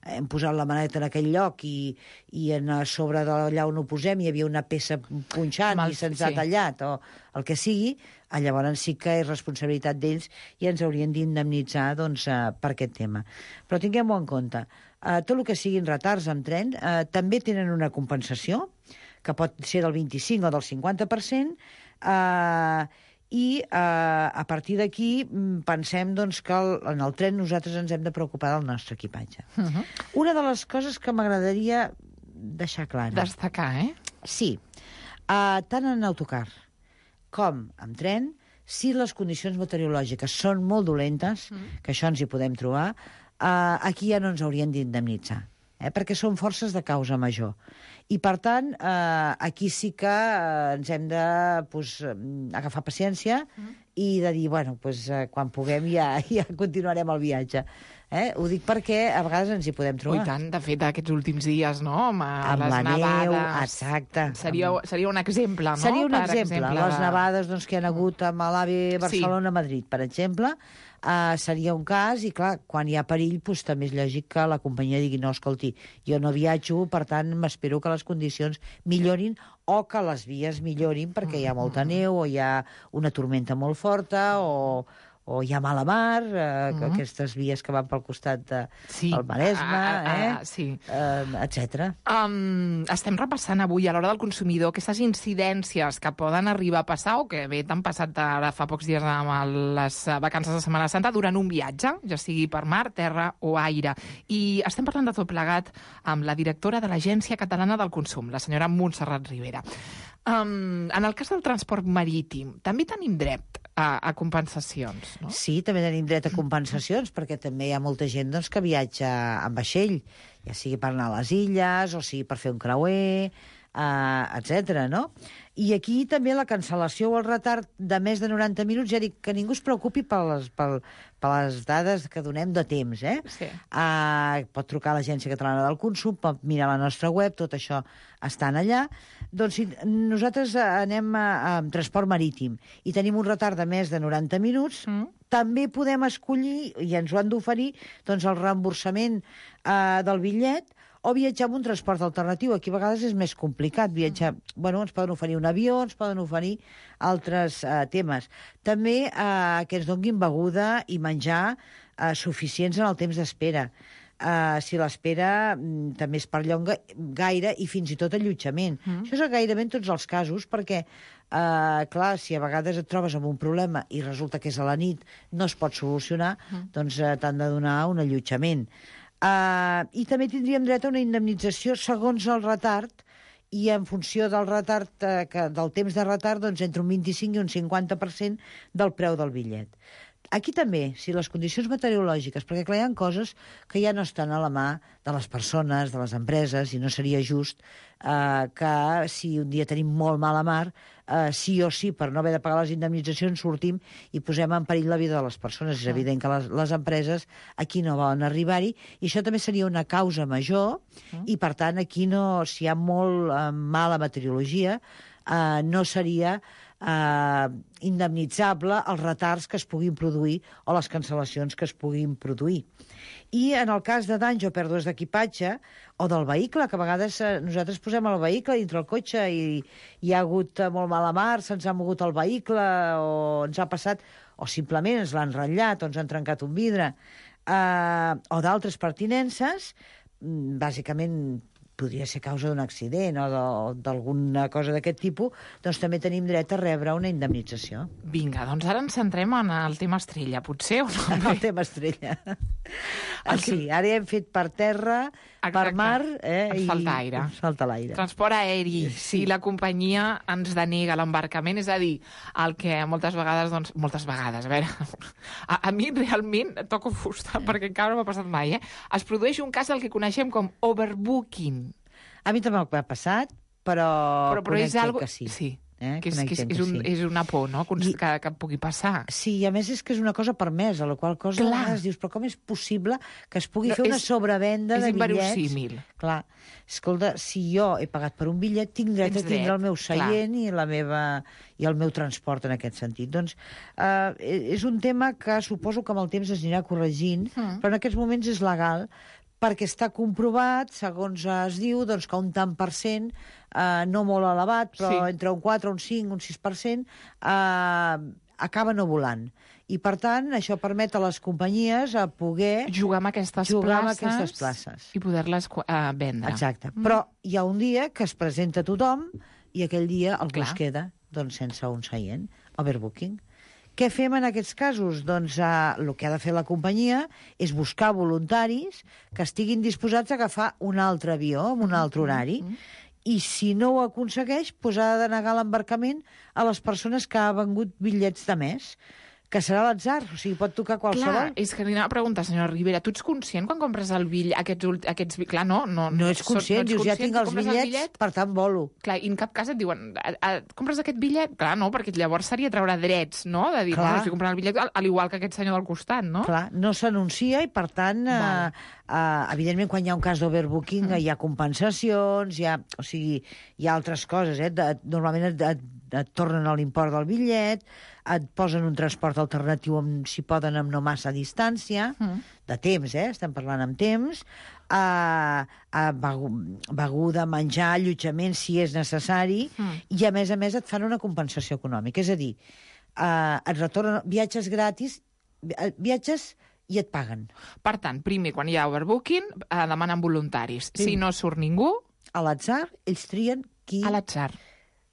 hem posat la maneta en aquell lloc i, i en, a sobre d'allà on ho posem hi havia una peça punxant Mal, i se'ns sí. ha tallat, o el que sigui, llavors sí que és responsabilitat d'ells i ens haurien d'indemnitzar doncs, eh, per aquest tema. Però tinguem-ho en compte. Eh, tot el que siguin retards amb tren eh, també tenen una compensació, que pot ser del vint-i-cinc o del cinquanta per cent, eh, i eh, a partir d'aquí pensem doncs, que el, en el tren nosaltres ens hem de preocupar del nostre equipatge. Uh -huh. Una de les coses que m'agradaria deixar clara... Destacar, eh? Sí. Uh, tant en autocar com en tren, si les condicions meteorològiques són molt dolentes, mm. que això ens hi podem trobar, uh, aquí ja no ens haurien d'indemnitzar, eh? perquè són forces de causa major. I, per tant, eh, aquí sí que eh, ens hem de pues, agafar paciència mm. i de dir, bueno, pues, eh, quan puguem ja, ja continuarem el viatge. Eh? Ho dic perquè a vegades ens hi podem trobar. I tant, de fet, aquests últims dies, no? Amb, amb les la neu, nevades. exacte. Seria, seria un exemple, no? Seria un per exemple. exemple Les de... nevades doncs, que hi ha hagut amb l'AVE Barcelona-Madrid, per exemple, uh, seria un cas, i clar, quan hi ha perill, doncs, també és lògic que la companyia digui no, escolti, jo no viatjo, per tant, m'espero que les condicions millorin o que les vies millorin perquè hi ha molta neu o hi ha una tormenta molt forta o... o hi ha mala mar, eh, mm-hmm. aquestes vies que van pel costat de, sí. del Maresme, ah, ah, eh? ah, sí. eh, etcètera. Um, estem repassant avui, a l'hora del consumidor, aquestes incidències que poden arribar a passar o que bé t'han passat ara fa pocs dies amb el, les vacances de Setmana Santa durant un viatge, ja sigui per mar, terra o aire. I estem parlant de tot plegat amb la directora de l'Agència Catalana del Consum, la senyora Montserrat Rivera. Um, en el cas del transport marítim, també tenim dret a, a compensacions, no? Sí, també tenim dret a compensacions, perquè també hi ha molta gent doncs, que viatja en vaixell, ja sigui per anar a les illes, o sigui per fer un creuer, uh, etcètera, no? I aquí també la cancel·lació o el retard de més de noranta minuts, ja dic que ningú es preocupi per les, per, per les dades que donem de temps, eh? Sí. Uh, pot trucar a l'Agència Catalana del Consum, pot mirar la nostra web, tot això estan allà. Doncs si nosaltres anem a, a, a transport marítim i tenim un retard de més de noranta minuts, mm. també podem escollir, i ens ho han d'oferir, doncs el reemborsament uh, del bitllet, o viatjar amb un transport alternatiu. Aquí a vegades és més complicat viatjar. Mm. Bueno, ens poden oferir un avió, ens poden oferir altres uh, temes. També uh, que ens donguin beguda i menjar uh, suficients en el temps d'espera. Uh, si l'espera um, també es perllonga gaire i fins i tot allotjament. Mm. Això és gairebé en tots els casos, perquè Uh, clar, si a vegades et trobes amb un problema i resulta que és a la nit, no es pot solucionar, mm. doncs uh, t'han de donar un allotjament. Uh, I també tindríem dret a una indemnització segons el retard, i en funció del retard, uh, que, del temps de retard, doncs entre un vint-i-cinc i un cinquanta per cent del preu del bitllet. Aquí també, si les condicions meteorològiques, perquè clar, hi ha coses que ja no estan a la mà de les persones, de les empreses, i no seria just eh, que si un dia tenim molt mala mar, eh, sí o sí, per no haver de pagar les indemnitzacions, sortim i posem en perill la vida de les persones. És evident que les, les empreses aquí no volen arribar-hi, i això també seria una causa major, i per tant aquí no, si hi ha molt eh, mala meteorologia, eh, no seria eh, indemnitzable els retards que es puguin produir o les cancel·lacions que es puguin produir. I en el cas de danys o pèrdues d'equipatge o del vehicle, que a vegades eh, nosaltres posem el vehicle dintre el cotxe i hi ha hagut eh, molt mala mar, se'ns ha mogut el vehicle o ens ha passat, o simplement ens l'han ratllat o ens han trencat un vidre, eh, o d'altres pertinences, bàsicament podria ser causa d'un accident o d'alguna cosa d'aquest tipus, doncs també tenim dret a rebre una indemnització. Vinga, doncs ara ens centrem en el tema estrella, potser, o no? En el tema estrella. El sí, que... ara ja hem fet per terra, exacte, per mar... Eh, ens falta aire. Ens falta l'aire. Transport aeri. Sí. Si la companyia ens denega l'embarcament, és a dir, el que moltes vegades, doncs, moltes vegades, a veure, a, a mi realment toco fusta, perquè encara no m'ha passat mai, eh? Es produeix un cas del que coneixem com overbooking. A mi també m'ha passat, però, però, però és algo... que sí. Sí. Eh? Que és, que és, és, un, és una por, no?, I, que, que pugui passar. Sí, i a més és que és una cosa permesa, la qual cosa a vegades dius, però com és possible que es pugui no, fer una és, sobrevenda de bitllets? És inverosímil. Clar, escolta, si jo he pagat per un bitllet, tinc dret Tens a tindre dret, el meu seient i, la meva, i el meu transport en aquest sentit. Doncs eh, és un tema que suposo que amb el temps es anirà corregint, mm. però en aquests moments és legal, perquè està comprovat, segons es diu, doncs, que un tant per cent, eh, no molt elevat, però sí, entre un quatre, un cinc, un sis per cent, eh, acaba no volant. I, per tant, això permet a les companyies a poder jugar amb aquestes, jugar places, amb aquestes places i poder-les uh, vendre. Exacte. Mm. Però hi ha un dia que es presenta tothom i aquell dia algú es queda doncs, sense un seient. Overbooking. Què fem en aquests casos? Doncs eh, el que ha de fer la companyia és buscar voluntaris que estiguin disposats a agafar un altre avió amb un altre horari, i si no ho aconsegueix, doncs ha de denegar l'embarcament a les persones que han vengut bitllets de més, que serà l'atzar, o sigui, pot tocar qualsevol. Clar, és que li anava a preguntar, senyora Rivera, tu ets conscient quan compres el bitllet, aquests, ult- aquests... Clar, no, no, No ets conscient, no ets dius, ja conscient, tinc tu els compres el bitllets, bitllet, per tant volo. clar, i en cap cas et diuen, "A- a- compres aquest bitllet? Clar, no, perquè llavors seria treure drets, no?, de dir, Clar. no, estic comprant el bitllet, al, al igual que aquest senyor del costat, no? Clar, no s'anuncia i, per tant, eh, eh, evidentment, quan hi ha un cas d'overbooking mm. hi ha compensacions, hi ha, o sigui, hi ha altres coses, eh? De, normalment et, et, et tornen a l'import del bitllet, et posen un transport alternatiu, amb, si poden, amb no massa distància, mm. de temps, eh? Estem parlant amb temps, a, a beguda, menjar, allotjament, si és necessari, mm. i, a més a més, et fan una compensació econòmica. És a dir, eh, et retornen viatges gratis, viatges i et paguen. Per tant, primer, quan hi ha overbooking, eh, demanen voluntaris. Sí. Si no surt ningú... A l'atzar, ells trien qui... A l'atzar.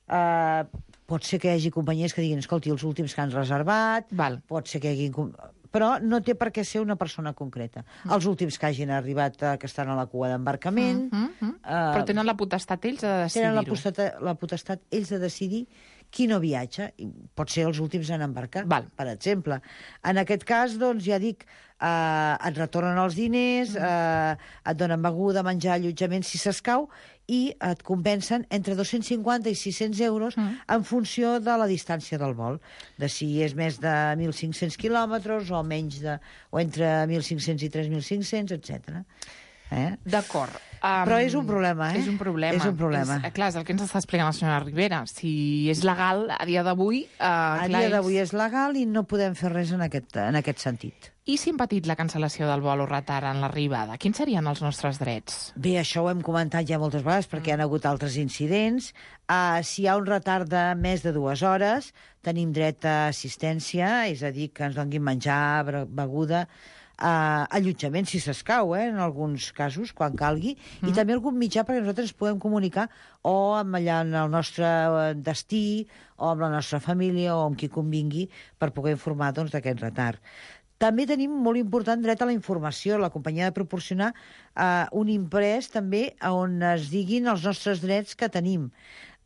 Uh, pot ser que hi hagi companyies que diguin, escolti, els últims que han reservat, Val. pot ser que hi hagi... Però no té per què ser una persona concreta. Mm. Els últims que hagin arribat, uh, que estan a la cua d'embarcament... Mm, mm, mm. Uh, Però tenen la potestat ells de decidir-ho. Tenen la potestat, la potestat ells de decidir qui no viatja, i pot ser els últims en embarcar, Val. per exemple. En aquest cas, doncs, ja dic, eh, et retornen els diners, eh, et donen beguda, menjar, allotjament, si s'escau, i et compensen entre dos-cents cinquanta i sis-cents euros mm. en funció de la distància del vol, de si és més de mil cinc-cents quilòmetres o menys de, o entre mil cinc-cents i tres mil cinc-cents, etcètera. Eh? D'acord. Um, Però és un problema, eh? És un problema. És un problema. És, clar, és el que ens està explicant la senyora Rivera. Si és legal, a dia d'avui... Uh, a dia d'avui és legal i no podem fer res en aquest, en aquest sentit. I si hem patit la cancel·lació del vol o retard en l'arribada, quins serien els nostres drets? Bé, això ho hem comentat ja moltes vegades perquè mm. hi ha hagut altres incidents. Uh, si hi ha un retard de més de dues hores, tenim dret a assistència, és a dir, que ens donguin menjar, beguda, Uh, allotjament, si s'escau, eh, en alguns casos, quan calgui, mm. i també algun mitjà perquè nosaltres ens podem comunicar o amb allà en el nostre destí, o amb la nostra família, o amb qui convingui, per poder informar doncs, d'aquest retard. També tenim molt important dret a la informació. La companyia ha de proporcionar uh, un imprès també on es diguin els nostres drets que tenim.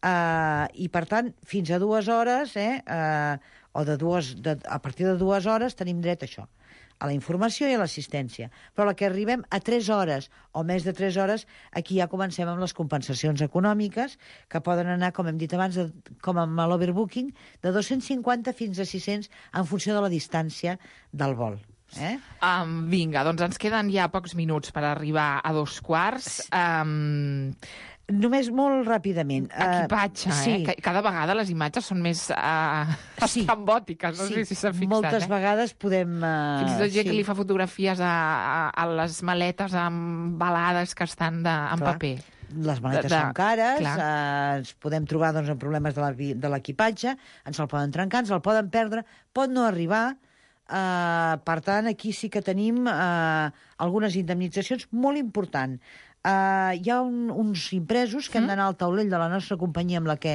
Uh, I, per tant, fins a dues hores, eh, uh, o de dues, de, a partir de dues hores, tenim dret a això, a la informació i a l'assistència. Però la que arribem a tres hores o més de tres hores, aquí ja comencem amb les compensacions econòmiques, que poden anar, com hem dit abans, de, com amb l'overbooking, de dos-cents cinquanta fins a sis-cents en funció de la distància del vol. Eh? Um, vinga, doncs ens queden ja pocs minuts per arribar a dos quarts. Um... Només molt ràpidament. Equipatge, uh, sí. eh? Cada vegada les imatges són més uh, sí. estrambòtiques, no sí. sé si s'ha fixat. Moltes eh? vegades podem... Uh, Fins i tot gent sí. que li fa fotografies a, a, a les maletes embalades que estan de, en Clar. paper. Les maletes de, de, són cares, uh, ens podem trobar doncs, amb problemes de l'equipatge, ens el poden trencar, ens el poden perdre, pot no arribar. Uh, per tant, aquí sí que tenim uh, algunes indemnitzacions molt importants. Uh, hi ha un, uns impresos que mm. han d'anar al taulell de la nostra companyia amb la que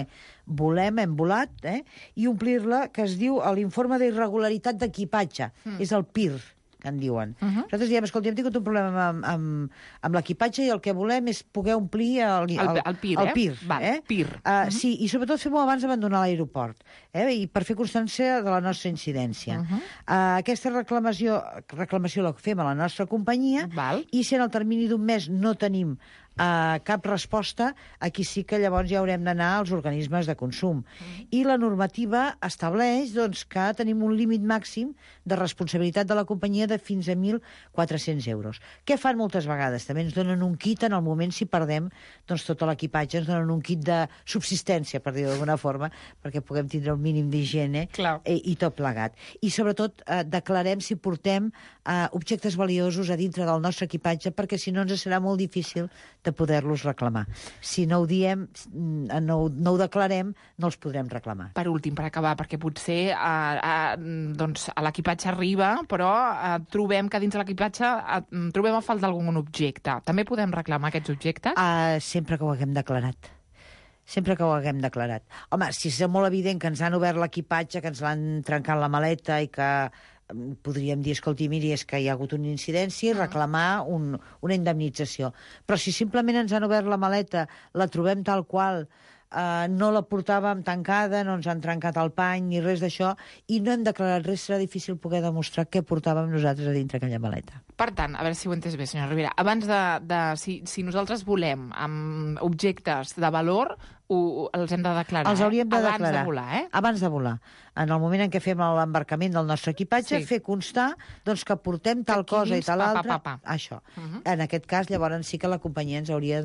volem, hem volat, eh, i omplir-la, que es diu l'informe d'irregularitat d'equipatge. Mm. És el P I R, que en diuen. Uh -huh. Nosaltres diem, escolta, hem tingut un problema amb, amb, amb l'equipatge i el que volem és poder omplir el, el, el, el P I R, el P I R. Eh? Val, eh? P I R. Uh, uh -huh. Sí, i sobretot fem-ho abans d'abandonar l'aeroport, eh? I per fer constància de la nostra incidència. Uh -huh. uh, aquesta reclamació, reclamació la fem a la nostra companyia. Val. I si en el termini d'un mes no tenim Uh, cap resposta, aquí sí que llavors ja haurem d'anar als organismes de consum. Mm. I la normativa estableix doncs, que tenim un límit màxim de responsabilitat de la companyia de fins a mil quatre-cents euros. Què fan moltes vegades? També ens donen un kit en el moment si perdem doncs, tot l'equipatge, ens donen un kit de subsistència, per dir-ho d'alguna forma, perquè puguem tindre un mínim d'higiene eh, i tot plegat. I sobretot eh, declarem si portem eh, objectes valiosos a dintre del nostre equipatge, perquè si no ens serà molt difícil de poder-los reclamar. Si no ho diem, no, no ho declarem, no els podrem reclamar. Per últim, per acabar, perquè potser eh, eh, doncs, l'equipatge arriba, però eh, trobem que dins de l'equipatge eh, trobem a falta d'algun objecte. També podem reclamar aquests objectes? Uh, sempre que ho haguem declarat. Sempre que ho haguem declarat. Home, si és molt evident que ens han obert l'equipatge, que ens l'han trencat la maleta i que podríem dir, escolti, miri, és que hi ha hagut una incidència i reclamar un, una indemnització. Però si simplement ens han obert la maleta, la trobem tal qual, Uh, no la portàvem tancada, no ens han trencat el pany ni res d'això, i no hem declarat res. Serà difícil poder demostrar què portàvem nosaltres a dintre aquella maleta. Per tant, a veure si ho he entès bé, senyora Rivera, abans de... de si, si nosaltres volem amb objectes de valor, ho, els hem de declarar, Els hauríem de eh? Abans declarar. de volar, eh? Abans de volar. En el moment en què fem l'embarcament del nostre equipatge, Sí. fer constar doncs, que portem tal aquí cosa i dins, tal pa, pa, altra. pa, pa. Això. Uh -huh. En aquest cas, llavors sí que la companyia ens hauria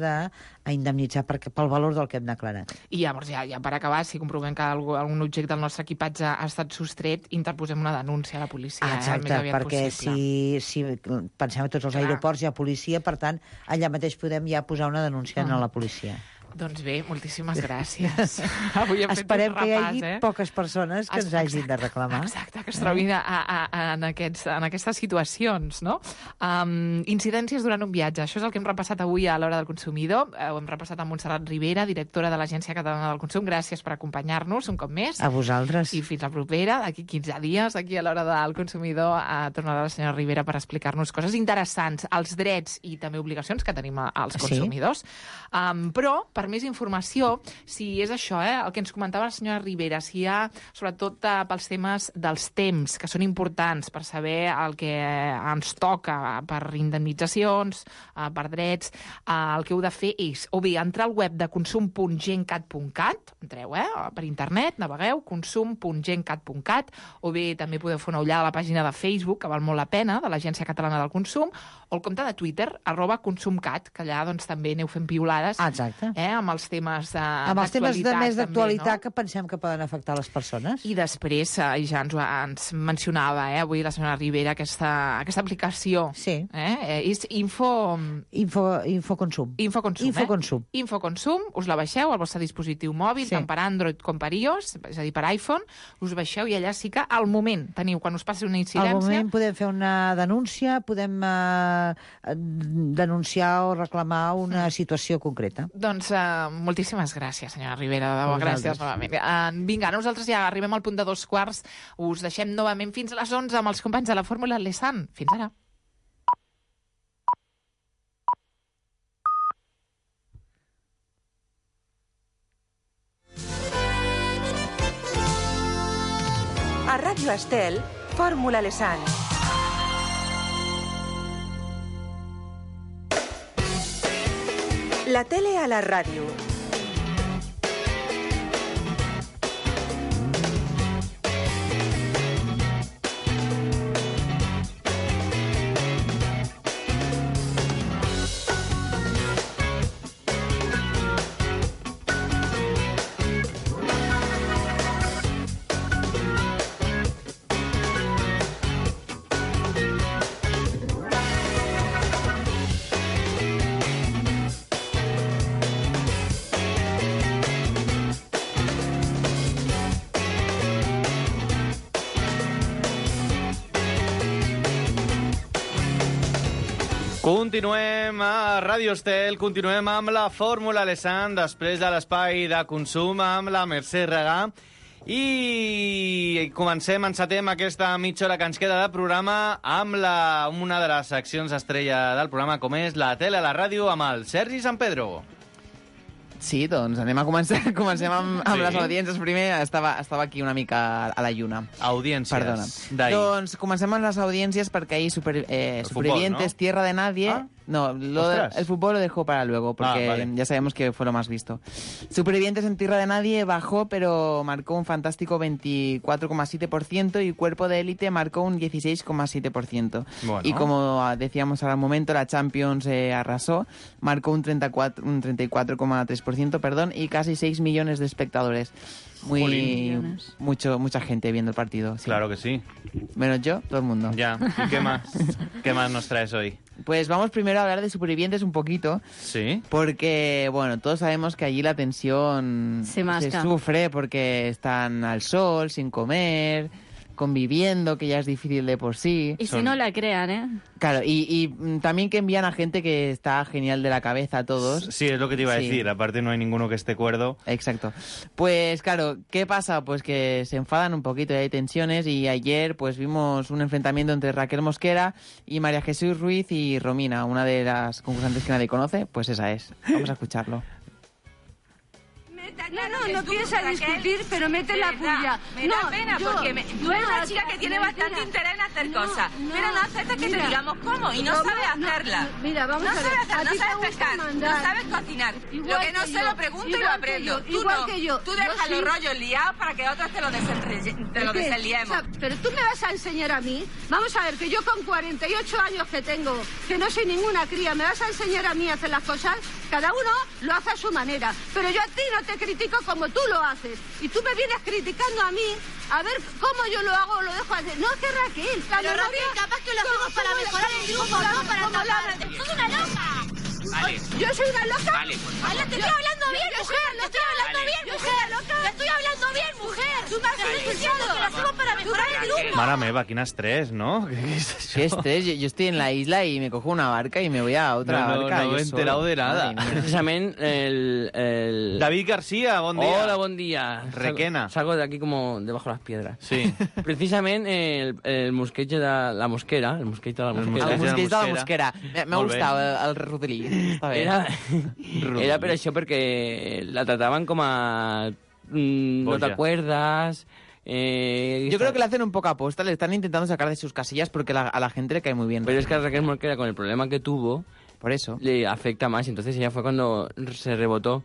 d'indemnitzar pel valor del que hem declarat. I llavors, ja, ja per acabar, si comprovem que algú, algun objecte del nostre equipatge ha estat sostret, interposem una denúncia a la policia. Exacte, eh? Més aviat perquè possible. si, si pensem a tots els Clar. aeroports hi ha policia, per tant, allà mateix podem ja posar una denúncia Mm. a la policia. Doncs bé, moltíssimes gràcies. Avui hem Esperem fet un que hi repàs, hagi eh? poques persones que ens hagin de reclamar. Exacte, que es trobin a, a, a, en, aquests, en aquestes situacions, no? Um, incidències durant un viatge. Això és el que hem repassat avui a l'Hora del Consumidor. Ho hem repassat amb Montserrat Rivera, directora de l'Agència Catalana del Consum. Gràcies per acompanyar-nos un cop més. A vosaltres. I fins la propera, d'aquí quinze dies, aquí a l'Hora del Consumidor, a tornarà la senyora Rivera per explicar-nos coses interessants, els drets i també obligacions que tenim als consumidors. Sí. Um, però, per més informació, si és això, eh, el que ens comentava la senyora Rivera, si hi ha, sobretot eh, pels temes dels temps, que són importants per saber el que ens toca per indemnitzacions, eh, per drets, eh, el que heu de fer és, o bé, entrar al web de consum punt gencat punt cat, entreu, eh, per internet, navegueu, consum punt gencat punt cat, o bé també podeu fer una ullada a la pàgina de Facebook, que val molt la pena, de l'Agència Catalana del Consum, o el compte de Twitter, arroba consumcat, que allà doncs, també aneu fent piulades, Exacte. eh, amb els temes de Amb els temes de més d'actualitat també, no? que pensem que poden afectar les persones. I després, eh, ja ens, ho- ens mencionava eh, avui la senyora Rivera aquesta, aquesta aplicació. Sí. Eh? Eh, és Info... Info, Infoconsum. Infoconsum, Infoconsum. eh? Infoconsum, us la baixeu al vostre dispositiu mòbil, Sí. tant per Android com per iOS, és a dir, per iPhone, us baixeu i allà sí que al moment teniu, quan us passi una Al incidència... moment podem fer una denúncia, podem eh, denunciar o reclamar una situació concreta. Doncs uh, moltíssimes gràcies, senyora Rivera. De debò, A vosaltres. gràcies novament. Uh, vinga, nosaltres ja arribem al punt de dos quarts. Us deixem novament fins a les onze amb els companys de la Fórmula Lesan. Fins ara. A Ràdio Estel, Fórmula Lesan. La tele a la ràdio. Continuem a Ràdio Estel, continuem amb la Fórmula Lesan, després de l'espai de consum amb la Mercè Regà. I comencem, encetem aquesta mitja hora que ens queda de programa amb la, una de les seccions estrella del programa, com és la tele a la ràdio, amb el Sergi San Pedro. Sí, doncs anem a començar. Comencem amb, amb Sí. les audiències. Primer estava, estava aquí una mica a la lluna. Audiències Perdona. d'ahir. Doncs comencem amb les audiències perquè ahí super, eh, El Supervivientes, fútbol, ¿no? Tierra de Nadie... Ah. No, lo de- Ostras. el fútbol lo dejó para luego, porque Ah, vale. ya sabemos que fue lo más visto. Supervivientes en Tierra de Nadie bajó, pero marcó un fantástico veinticuatro coma siete por ciento y Cuerpo de Élite marcó un dieciséis coma siete por ciento. Bueno. Y como ah, decíamos ahora al momento, la Champions eh, arrasó, marcó un treinta y cuatro un treinta y cuatro coma tres por ciento, perdón, y casi seis millones de espectadores. Muy Jolín. mucho mucha gente viendo el partido. sí. Claro que sí. Menos yo, todo el mundo. Ya, ¿y qué más? ¿Qué más nos traes hoy? Pues vamos primero a hablar de Supervivientes un poquito. Sí. Porque, bueno, todos sabemos que allí la tensión Se masca. sufre porque están al sol, sin comer, conviviendo, que ya es difícil de por sí. Y si no la crean, ¿eh? Claro, y, y mm, también que envían a gente que está genial de la cabeza a todos. Sí, es lo que te iba a Sí. decir. Aparte no hay ninguno que esté cuerdo. Exacto. Pues claro, ¿qué pasa? Pues que se enfadan un poquito y hay tensiones y ayer pues vimos un enfrentamiento entre Raquel Mosquera y María Jesús Ruiz y Romina, una de las concursantes que nadie conoce, pues esa es. Vamos a escucharlo. Meta no, no, no piensa discutir, pero mete la puya. Me da pena porque me, tú eres una chica que tiene bastante interés en hacer cosas, pero no aceptas que te digamos cómo y no sabes hacerla. Mira, vamos no a ver. Sabes hacer, no ti sabes te pescar, gusta no mandar. sabes cocinar. Igual Lo que no que sé yo, lo pregunto y igual lo que aprendo. yo, Tú igual no. que yo. Tú Yo dejas sí. los rollos liados para que otros te lo desenrelle- te lo ¿Qué? desliemos. O sea, pero tú me vas a enseñar a mí. Vamos a ver, que yo con cuarenta y ocho años que tengo, que no soy ninguna cría, me vas a enseñar a mí a hacer las cosas. Cada uno lo hace a su manera. Pero yo a ti no te critico como tú lo haces. Y tú me vienes criticando a mí a ver cómo yo lo hago o lo dejo hacer. No, que Raquel. La Pero memoria, Raquel, capaz que lo hacemos para mejorar el grupo, no para tapar. ¡Sos una loca! Vale. ¿Yo soy una loca? Vale, por favor. Te estoy hablando bien, yo mujer. soy Te estoy hablando vale. bien, Yo mujer. soy loca. Te estoy hablando bien, mujer. Tú me Vale. estás diciendo que lo hacemos para mejorar el grupo. Mare meva, quin estrès, no? ¿Qué es eso? ¿Qué estrés? Yo, yo estoy en la isla y me cojo una barca y me voy a otra No, no, barca. no yo he enterado solo. de nada. Madre mía. Precisament el, el... David García, bon dia. Hola, bon dia. Requena. Salgo, salgo de aquí como debajo de las piedras. Sí. Precisament el, el mosqueig de la mosquera, el mosqueig de la mosquera. El mosqueig de la mosquera. M'ha gustat el, el rodolí. Està bé. Era, era per això perquè la trataven com a... Mm, no Boja. te acuerdas... Eh, Yo creo que le hacen un poco aposta, le están intentando sacar de sus casillas porque la- a la gente le cae muy bien. Pero es que a Raquel Mosquera, con el problema que tuvo, por eso le afecta más. Entonces ella fue cuando se rebotó.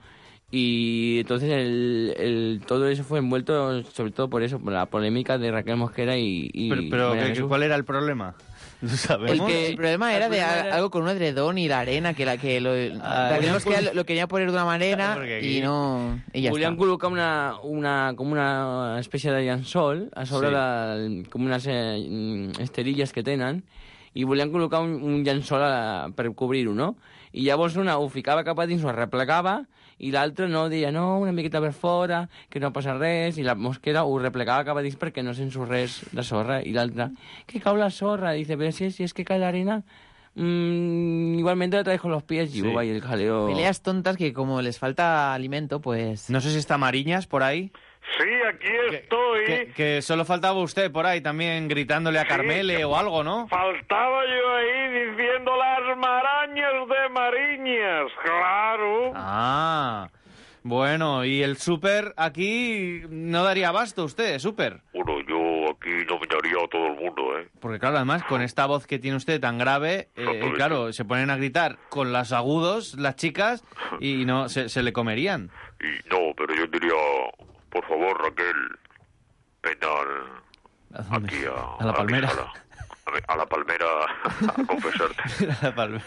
Y entonces el, el, todo eso fue envuelto sobre todo por eso, por la polémica de Raquel Mosquera y... y Pero, pero María ¿qué- Jesús. ¿cuál era el problema? ¿Lo El, sabemos? que, el problema era El de problema a- era- algo con un edredón y la arena, que la que lo, Ah, Raquel Julián Mosquera Cul- lo, lo quería poner de una manera Porque aquí- y no... I ja Volien està. col·locar una, una, com una espècie de llençol a sobre Sí. sí. la, com unes eh, esterilles que tenen i volien col·locar un, un llençol a, per cobrir-ho, no? I llavors una ho ficava cap a dins, ho replegava, i l'altra no, deia no, una miqueta per fora, que no passa res, i la mosquera ho replegava cap a dins perquè no s'ensorrés la sorra, i l'altra, que cau la sorra, dice, pero si, si es que cae la arena, mm, igualmente la traes con los pies, y Sí. hubo ahí el jaleo. Peleas tontas que como les falta alimento, pues... No sé si está Mariñas por ahí. Sí, aquí estoy. Que, que solo faltaba usted por ahí también gritándole a Carmele o algo, ¿no? Faltaba yo ahí diciendo las marañas de Mariñas, claro. Ah, bueno, y el súper aquí no daría abasto usted, súper. Bueno, yo aquí nominaría a todo el mundo, ¿eh? Porque claro, además, con esta voz que tiene usted tan grave, eh, claro, se ponen a gritar con los agudos las chicas y no se, se le comerían. Y no, pero yo diría, por favor, Raquel, ven al, aquí a, A la palmera. A la, a mi- a la palmera a confesarte. La palmera.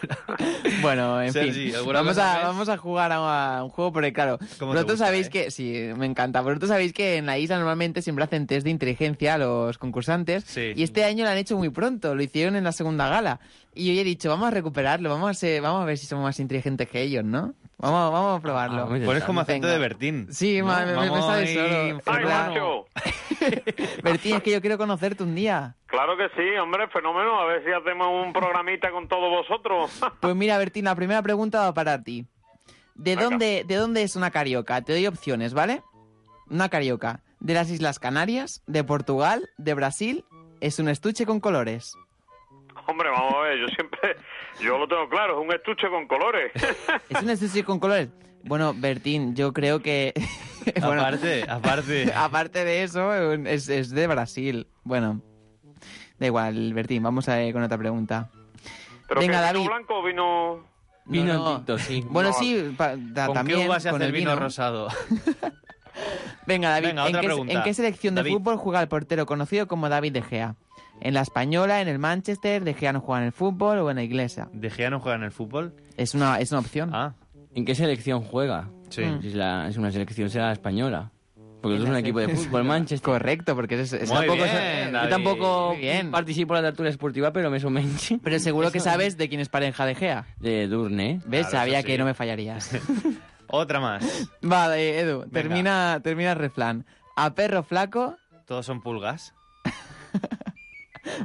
Bueno, en Sergi, fin, ¿alguna vamos cosa a, más? vamos a jugar a, a un juego porque, claro, ¿Cómo te vosotros gusta, sabéis eh? que, sí, me encanta, vosotros sabéis que en la isla normalmente siempre hacen test de inteligencia a los concursantes Sí. y este año lo han hecho muy pronto, lo hicieron en la segunda gala y yo he dicho, vamos a recuperarlo, vamos a, ser- vamos a ver si somos más inteligentes que ellos, ¿no? Vamos, vamos a probarlo. Ah, Pones como acento Venga. de Bertín. Sí, ¿no? ma- me, me Vamos sale ahí, solo. ¡Ay, Claro. macho! Bertín, es que yo quiero conocerte un día. Claro que sí, hombre, fenómeno. A ver si hacemos un programita con todos vosotros. Pues mira, Bertín, la primera pregunta va para ti. ¿De dónde, ¿De dónde es una carioca? Te doy opciones, ¿vale? Una carioca. ¿De las Islas Canarias? ¿De Portugal? ¿De Brasil? Es un estuche con colores. Hombre, vamos a ver, yo siempre... Yo lo tengo claro, es un estuche con colores. ¿Es un estuche con colores? Bueno, Bertín, yo creo que... bueno, Aparte, aparte. aparte de eso, es, es de Brasil. Bueno, da igual, Bertín, vamos a ir con otra pregunta. ¿Pero Venga, que David. vino blanco o vino...? Vino No, no. tinto, sí. Bueno, No. sí, pa- da- ¿Con también qué uva se con hace el el vino vino. rosado? Venga, David, Venga, ¿en, otra qué, pregunta. ¿en qué selección de David. fútbol juega el portero conocido como David De Gea? ¿En la Española, en el Manchester, De Gea no juega en el fútbol o en la Iglesia? ¿De Gea no juega en el fútbol? Es una, es una opción. Ah, ¿En qué selección juega? sí. Si es, la- es una selección, será la española. Porque En es un la equipo de selección. fútbol, Manchester. Correcto, porque es, es Muy tampoco bien, es- David. Yo tampoco Muy bien. participo en la tertulia esportiva, pero me somenche. Pero seguro que Eso- sabes de quién es pareja De Gea. De Durne. ¿Ves? Claro, Sabía eso sí. que no me fallarías. Otra más. Vale, Edu, termina, termina el refrán. A perro flaco, ¿Todos son pulgas?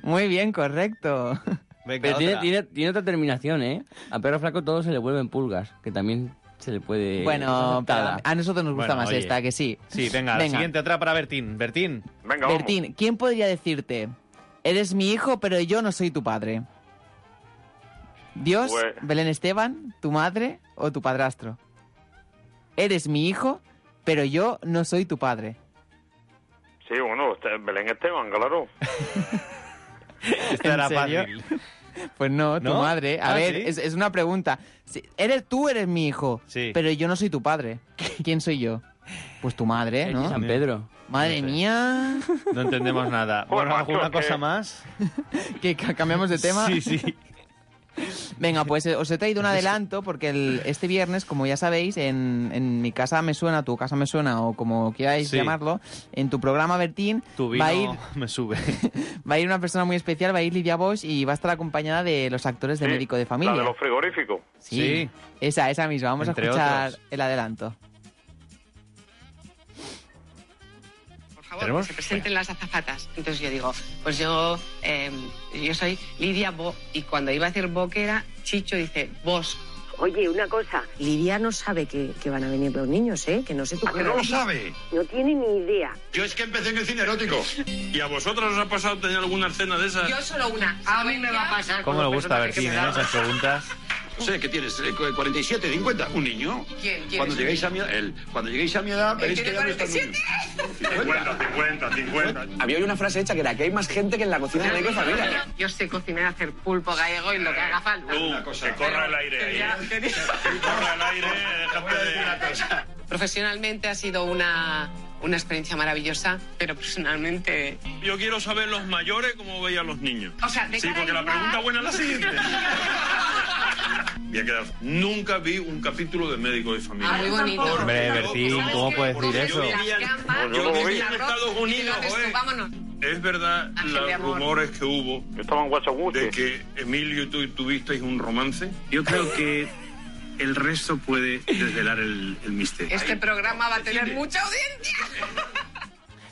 muy bien, correcto. Venga, Pero tiene, otra. tiene, tiene otra terminación, ¿eh? A perro flaco todo se le vuelven pulgas, que también se le puede... Bueno, es pero aceptada. a nosotros nos gusta Bueno, más oye. esta, que sí. Sí, venga, la siguiente, otra para Bertín. Bertín. Venga, vamos. Bertín, ¿quién podría decirte, eres mi hijo, pero yo no soy tu padre? ¿Dios, Pues- Belén Esteban, tu madre o tu padrastro? Eres mi hijo, pero yo no soy tu padre. Sí, bueno, Belén Esteban, claro. Esto era serio? fácil. Pues no, tu ¿No? madre. A Ah, ver, ¿sí? es, es una pregunta. Si- eres tú eres mi hijo, Sí. pero yo no soy tu padre. ¿Quién soy yo? Pues tu madre, ¿no? San Pedro. Madre No sé. mía. No entendemos nada. Pues, Bueno, ¿alguna macho, cosa que- más? ¿Que ca- cambiamos de tema? Sí, sí. Venga, pues eh, os he traído un adelanto porque el- este viernes, como ya sabéis, en, en mi casa me suena, tu casa me suena o como queráis Sí. llamarlo, en tu programa, Bertín, Tu vino va a ir me sube. va a ir una persona muy especial, va a ir Lidia Bosch y va a estar acompañada de los actores de Sí, Médico de La Familia. de los frigoríficos. Sí, Sí. esa, esa misma. Vamos Entre a escuchar otros. el adelanto. Por favor, ¿Tenemos? que se presenten las azafatas. Entonces yo digo, pues yo eh, yo soy Lidia Bo, y cuando iba a decir Boquera, Chicho dice Bosch. Oye, una cosa, Lidia no sabe que, que van a venir los niños, ¿eh? Que no sé tú. ¿A que no lo sabe? No tiene ni idea. Yo es que empecé en el cine erótico. ¿Y a vosotros os ha pasado tener alguna escena de esas? Yo solo una. A mí me va a pasar. ¿Cómo le gusta a Bertín, eh, esas preguntas? No sé, ¿qué tienes? Eh, cuarenta y siete, cincuenta. ¿Un niño? ¿Quién? ¿Quién Cuando es lleguéis un a mi edad, él. Cuando lleguéis a mi edad, veréis que tiene ya no está cuarenta y siete? cincuenta, cincuenta, cincuenta. Había hoy una frase hecha que era que hay más gente que en la cocina de Médico de Familia. Yo sé cocinar, hacer pulpo gallego y lo que haga falta. Una cosa, que corra el aire ahí. Que corra el aire, déjate de una cosa. Profesionalmente ha sido una, una experiencia maravillosa, pero personalmente... Yo quiero saber los mayores cómo veían los niños. O sea, de Sí, cara porque la igual. pregunta buena es la siguiente. Voy a quedar. Nunca vi un capítulo de Médico de Familia. Ah, muy bonito. Hombre, Bertín, ¿cómo puedes decir eso? Yo vivía, yo vivía en Estados Unidos, joder. Vámonos. Es verdad Ángel de los amor. rumores que hubo Estaban guachaguches. de que Emilio y tú tuvisteis un romance. Yo creo que el resto puede desvelar el, el misterio. Este programa va a tener mucha audiencia.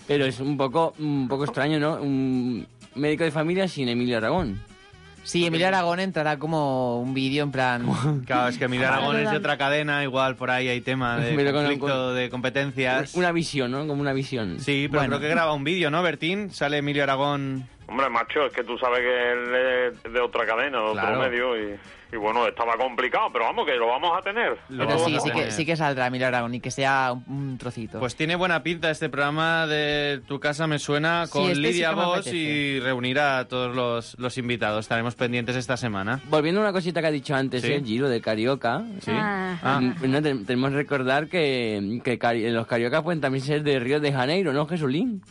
Pero es un poco, un poco extraño, ¿no? Un Médico de Familia sin Emilio Aragón. Sí, Emilio Aragón entrará como un vídeo en plan... Claro, es que Emilio Aragón es de otra cadena, igual por ahí hay tema de Pero con- conflicto con- de competencias. Una visión, ¿no? Como una visión. Sí, pero Bueno. creo que graba un vídeo, ¿no, Bertín? Sale Emilio Aragón... Hombre, macho, es que tú sabes que él es de otra cadena, de otro Claro. medio, y, y bueno, estaba complicado, pero vamos, que lo vamos a tener. Lo Pero vamos sí, a sí que, tener. sí que saldrá Emilio Aragón y que sea un, un trocito. Pues tiene buena pinta este programa de Tu Casa Me Suena Sí, con este sí Lidia que me Bosch apetece. y reunir a todos los, los invitados. Estaremos pendientes esta semana. Volviendo a una cosita que ha dicho antes, Sí. el Giro de Carioca. Sí. Ah. Ah. No, te- tenemos que recordar que, que cari- los cariocas pueden también ser de Río de Janeiro, ¿no, Jesulín?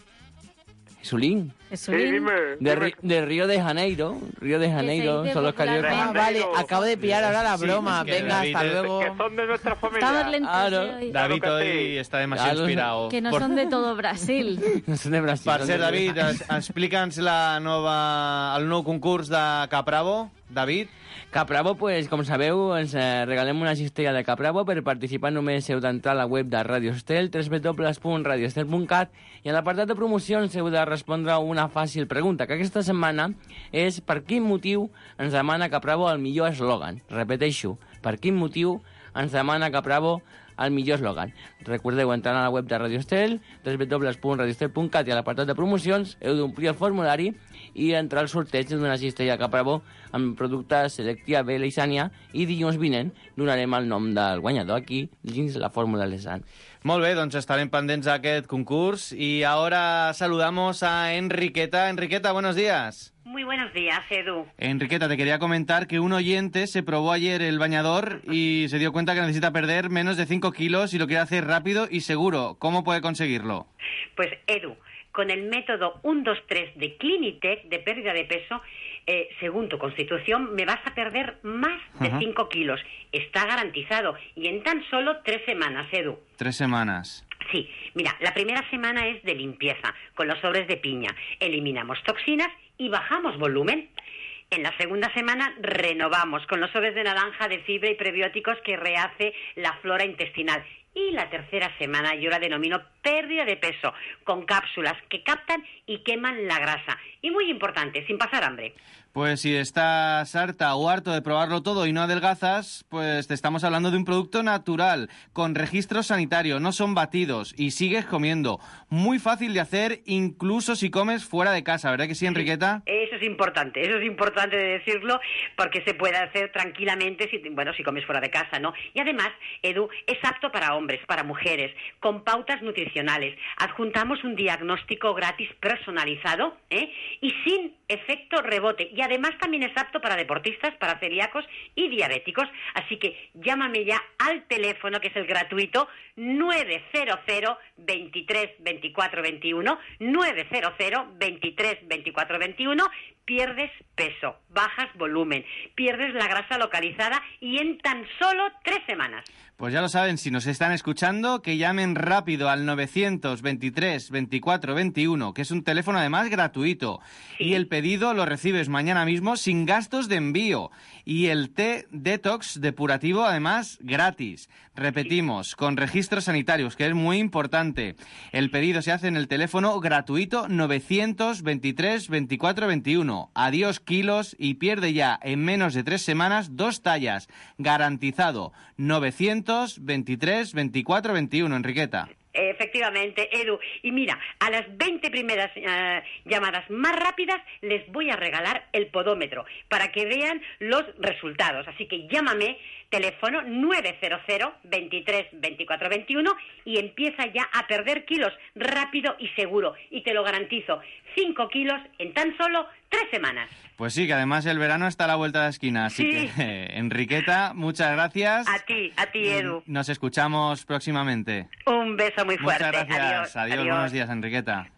Jesulín. Jesulín. Sí, dime, De, dime. Ri- de Río de Janeiro. Río de Janeiro dice son los cariocas. Ah, vale, acabo de pillar ahora la Sí, broma. es que Venga, David hasta es- luego. Que son de nuestra familia. Estamos lentos Claro. eh, hoy. David Claro que hoy sí. està demasiado Claro. inspirado. Que no Por- son de todo Brasil. No son de Brasil. Per son cert, de- David, es- explica'ns la nova, el nou concurs de Capravo. David? Capravo, pues, com sabeu, ens eh, regalem una cistella de Capravo. Per participar només heu d'entrar a la web de Radio Estel, w w w punt radio estel punt cat, i en l'apartat de promocions heu de respondre una fàcil pregunta, que aquesta setmana és per quin motiu ens demana Capravo el millor eslògan. Repeteixo, per quin motiu ens demana Capravo el millor eslògan. Recordeu entrar a la web de Radio Estel, w w w punt radio estel punt cat, i a l'apartat de promocions heu d'omplir el formulari i entrar al sorteig d'una cistella Capravo amb productes Selectia, Bela i Sània, i dilluns vinent donarem el nom del guanyador aquí dins la fórmula Lesan. Molt bé, doncs estarem pendents d'aquest concurs. Y ahora saludamos a Enriqueta. Enriqueta, buenos días. Muy buenos días, Edu. Enriqueta, te quería comentar que un oyente se probó ayer el bañador y se dio cuenta que necesita perder menos de cinco kilos y lo quiere hacer rápido y seguro. ¿Cómo puede conseguirlo? Pues, Edu, con el método uno dos tres de Clinitec de pérdida de peso, eh, según tu constitución, me vas a perder más de Ajá. cinco kilos. Está garantizado. Y en tan solo tres semanas, Edu. Tres semanas. Sí, mira, la primera semana es de limpieza, con los sobres de piña. Eliminamos toxinas y bajamos volumen. En la segunda semana renovamos con los sobres de naranja de fibra y prebióticos que rehace la flora intestinal. Y la tercera semana yo la denomino pérdida de peso, con cápsulas que captan y queman la grasa. Y muy importante, sin pasar hambre. Pues si estás harta o harto de probarlo todo y no adelgazas, pues te estamos hablando de un producto natural, con registro sanitario, no son batidos y sigues comiendo. Muy fácil de hacer, incluso si comes fuera de casa, ¿verdad que sí, Enriqueta? Eso es importante, eso es importante de decirlo, porque se puede hacer tranquilamente, si, bueno, si comes fuera de casa, ¿no? Y además, Edu, es apto para hombres, para mujeres, con pautas nutricionales. Adjuntamos un diagnóstico gratis personalizado, ¿eh? Y sin efecto rebote. Y además también es apto para deportistas, para celíacos y diabéticos. Así que llámame ya al teléfono, que es el gratuito, nueve cero cero, veintitrés, veinticuatro, veintiuno, nueve cero cero, veintitrés, veinticuatro, veintiuno. Pierdes peso, bajas volumen, pierdes la grasa localizada y en tan solo tres semanas. Pues ya lo saben, si nos están escuchando, que llamen rápido al novecientos veintitrés, veinticuatro, veintiuno, que es un teléfono además gratuito. Sí. Y el pedido lo recibes mañana mismo sin gastos de envío. Y el té detox depurativo además gratis. Repetimos, con registros sanitarios, que es muy importante. El pedido se hace en el teléfono gratuito novecientos veintitrés, veinticuatro, veintiuno. Adiós kilos y pierde ya en menos de tres semanas dos tallas. Garantizado. novecientos veintitrés, veinticuatro, veintiuno, Enriqueta. Efectivamente, Edu. Y mira, a las veinte primeras uh, llamadas más rápidas les voy a regalar el podómetro para que vean los resultados. Así que llámame, teléfono nueve cero cero, veintitrés, veinticuatro, veintiuno y empieza ya a perder kilos rápido y seguro. Y te lo garantizo, cinco kilos en tan solo tres semanas. Pues sí, que además el verano está a la vuelta de la esquina. Así sí. que, eh, Enriqueta, muchas gracias. A ti, a ti, Edu. Nos escuchamos próximamente. Un beso muy fuerte. Muchas gracias. Adiós. Adiós. Adiós. Buenos días, Enriqueta.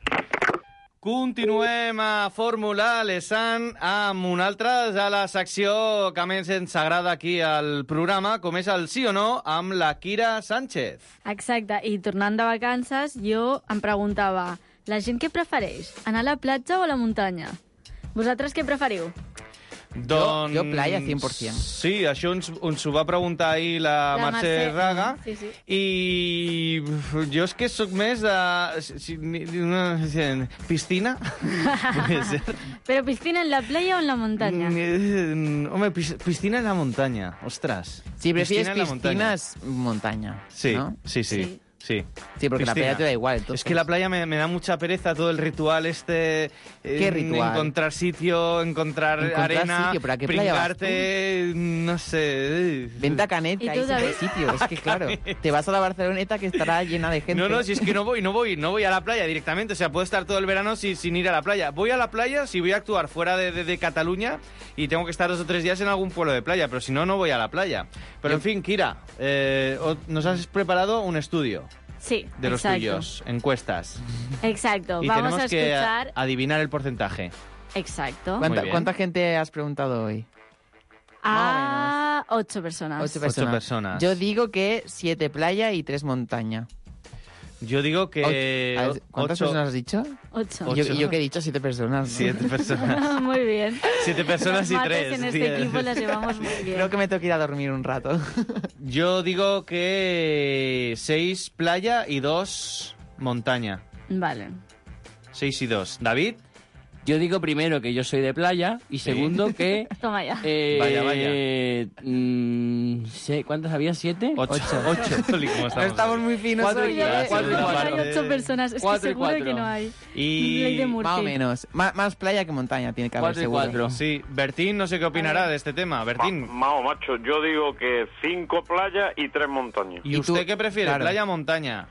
Continuem a Fórmula Lesan amb una altra de la secció que més ens agrada aquí al programa, com és el sí o no, amb la Kira Sánchez. Exacte, i tornant de vacances, jo em preguntava, la gent què prefereix, anar a la platja o a la muntanya? Vosaltres què preferiu? Doncs... Jo, jo playa, cent per cent. Sí, això ens, ens ho va preguntar ahir la, La Mercè Mercè, Raga, sí, sí. i jo és que sóc més de... Si, una, piscina? Puede ser. ¿Pero piscina en la playa o en la montaña? Mm, Home, pis- piscina en la montaña, ostras. Si prefieres Piscina en la montaña. piscinas, montaña. Sí, ¿no? sí, sí, Sí. sí. Sí, porque la Piscina. playa te da igual. Entonces. Es que la playa me, me da mucha pereza todo el ritual este. ¿Qué en- ritual? Encontrar sitio, encontrar, Encontrar arena, sitio, pero ¿a qué playa vas pringarte, no sé. Vente a Canet, ¿Y ahí tú, es el David? sitio. Es que claro, te vas a la Barceloneta que estará llena de gente. No, no, si es que no voy, no voy, no voy a la playa directamente. O sea, puedo estar todo el verano sin, sin ir a la playa. Voy a la playa si voy a actuar fuera de, de- de Cataluña y tengo que estar dos o tres días en algún pueblo de playa, pero si no, no voy a la playa. Pero en fin, Kira, eh, o- nos has preparado un estudio Sí, de los exacto. tuyos, encuestas. Exacto, Y vamos tenemos a que escuchar... a- adivinar el porcentaje. Exacto. Muy ¿Cuánta, bien. ¿Cuánta gente has preguntado hoy? A ocho personas. Ocho personas. personas. Yo digo que siete playa y tres montaña. Yo digo que... O- a ver, ¿Cuántas ocho- personas has dicho? Ocho. ¿Y yo, y yo que he dicho siete personas. ¿no? Siete personas. Muy bien. Siete personas y Las mates tres. en este Diez. equipo las llevamos muy bien. Creo que me tengo que ir a dormir un rato. Yo digo que seis playa y dos montaña. Vale. Seis y dos. ¿David? Yo digo primero que yo soy de playa y segundo que... Toma ya. eh, Vaya, vaya. mm, sé- ¿Cuántas había? ¿Siete? Ocho. Ocho. Oli, ¿cómo No estamos estamos hoy? muy finos Cuatro hoy, y ¿eh? cuatro, cuatro y Hay cuatro. ocho personas. Es Cuatro que y seguro cuatro. que no hay. Y... Ley de Murphy. Más o menos. Má- más playa que montaña tiene que haber, Cuatro y seguro. cuatro. Sí, Bertín no sé qué opinará de este tema. Bertín. Ma- Mao, macho, yo digo que cinco playas y tres montañas. ¿Y ¿Y usted tú? qué prefiere, Claro. playa o montaña?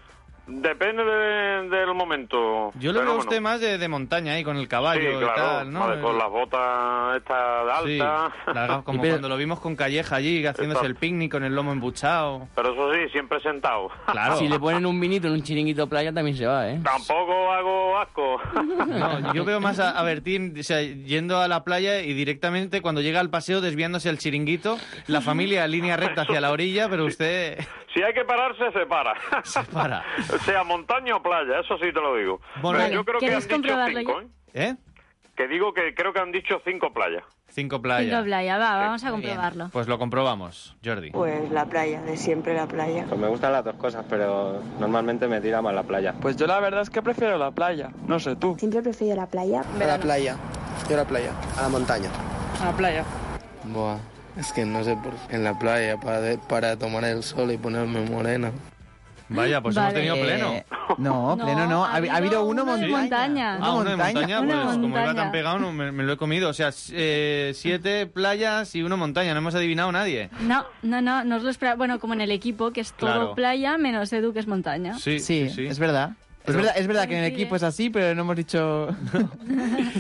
Depende de- del momento. Yo lo pero veo a bueno. usted más de, de montaña ahí, con el caballo Sí, y claro, tal, ¿no? vale, con las botas estas Sí, altas. largas, como Y pero- cuando lo vimos con Calleja allí, haciéndose Exacto. el picnic con el lomo embuchado. Pero eso sí, siempre sentado. Claro. Si le ponen un vinito en un chiringuito playa también se va, ¿eh? Tampoco hago asco. No, yo veo más a, a Bertín, o sea, yendo a la playa y directamente cuando llega al paseo desviándose el chiringuito, la familia en línea recta hacia la orilla, pero usted Si hay que pararse, se para. se para. Sea montaña o playa, eso sí te lo digo. Bueno, Pero Vale, yo creo que han ¿quieres dicho comprobarlo cinco, ya? ¿eh? ¿Eh? Que digo que creo que han dicho cinco playas. Cinco playas. Cinco playa, va, vamos a muy bien. comprobarlo. Pues lo comprobamos, Jordi. Pues la playa, de siempre la playa. Pues me gustan las dos cosas, pero normalmente me tira más la playa. Pues yo la verdad es que prefiero la playa. No sé tú. Siempre prefiero la playa. A la playa. Yo a la playa. A la montaña. A la playa. Buah, es que no sé por qué. En la playa, para, para tomar el sol y ponerme morena. Vaya, pues vale. Hemos tenido pleno. Eh, no, pleno no. Ha, ha habido uno, uno de montaña. Ah, uno de montaña. Una Pues montaña. como iba tan pegado, no, me, me lo he comido. O sea, eh, siete playas y uno montaña. No hemos adivinado nadie. No, no, no, no os lo esperaba. Bueno, como en el equipo, que es todo Claro. playa, menos Edu, que es montaña. Sí, Sí, sí. es verdad. Pero- Es verdad, es verdad que en el equipo es así, pero no hemos dicho...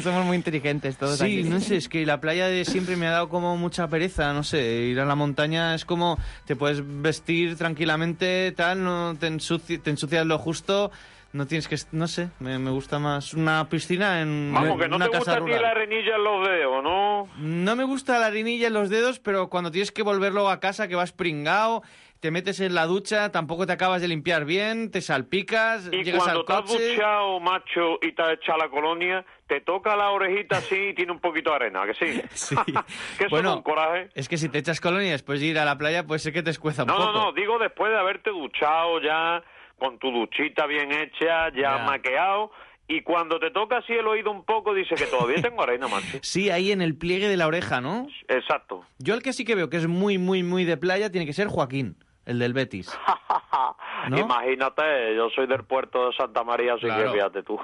Somos muy inteligentes todos Sí, aquí. no sé, es que la playa de siempre me ha dado como mucha pereza, no sé, ir a la montaña es como te puedes vestir tranquilamente, tal, no te, ensuci- te ensucias lo justo, no tienes que, no sé, me, me gusta más una piscina en, Vamos, en que no una te casa gusta a ti rural. la arenilla en los dedos, ¿no? No me gusta la harinilla en los dedos, pero cuando tienes que volverlo a casa, que vas pringao, te metes en la ducha, tampoco te acabas de limpiar bien, te salpicas, Y llegas cuando al te has coche... duchado, macho, y te has echado la colonia, te toca la orejita así y tiene un poquito de arena, ¿que sí? Sí. Que eso Bueno, es un coraje. es que si te echas colonia y después de ir a la playa, pues sé que te escueza un No, poco. no, no, digo después de haberte duchado ya, con tu duchita bien hecha, ya, Ya. maqueado, y cuando te toca así el oído un poco, dice que todavía tengo arena, macho. Sí, ahí en el pliegue de la oreja, ¿no? Exacto. Yo el que sí que veo que es muy, muy, muy de playa tiene que ser Joaquín, el del Betis. ¿No? Imagínate, yo soy del puerto de Santa María, así Claro. que fíjate tú.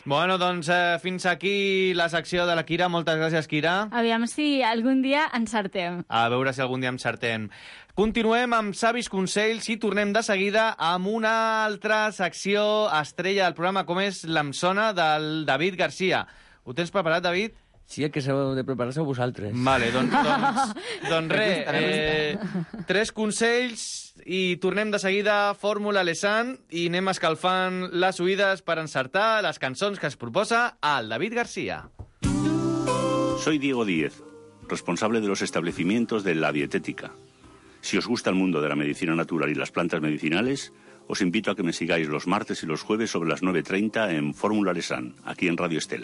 Bueno, doncs eh, fins aquí la secció de la Kira. Moltes gràcies, Kira. Aviam si algun dia encertem. A veure si algun dia encertem. Continuem amb savis consells i tornem de seguida amb una altra secció estrella del programa, com és l'Em Sona, del David Garcia. Ho tens preparat, David? Sí, el que s'heu de preparar sou vosaltres. Vale, doncs, doncs, doncs res, eh, tres consells i tornem de seguida Fórmula Lesan i anem escalfant les oïdes per encertar les cançons que es proposa al David Garcia. Soy Diego Díez, responsable de los establecimientos de La Dietética. Si os gusta el mundo de la medicina natural y las plantas medicinales, os invito a que me sigáis los martes y los jueves sobre las nueve treinta en Fórmula Lesan, aquí en Radio Estel.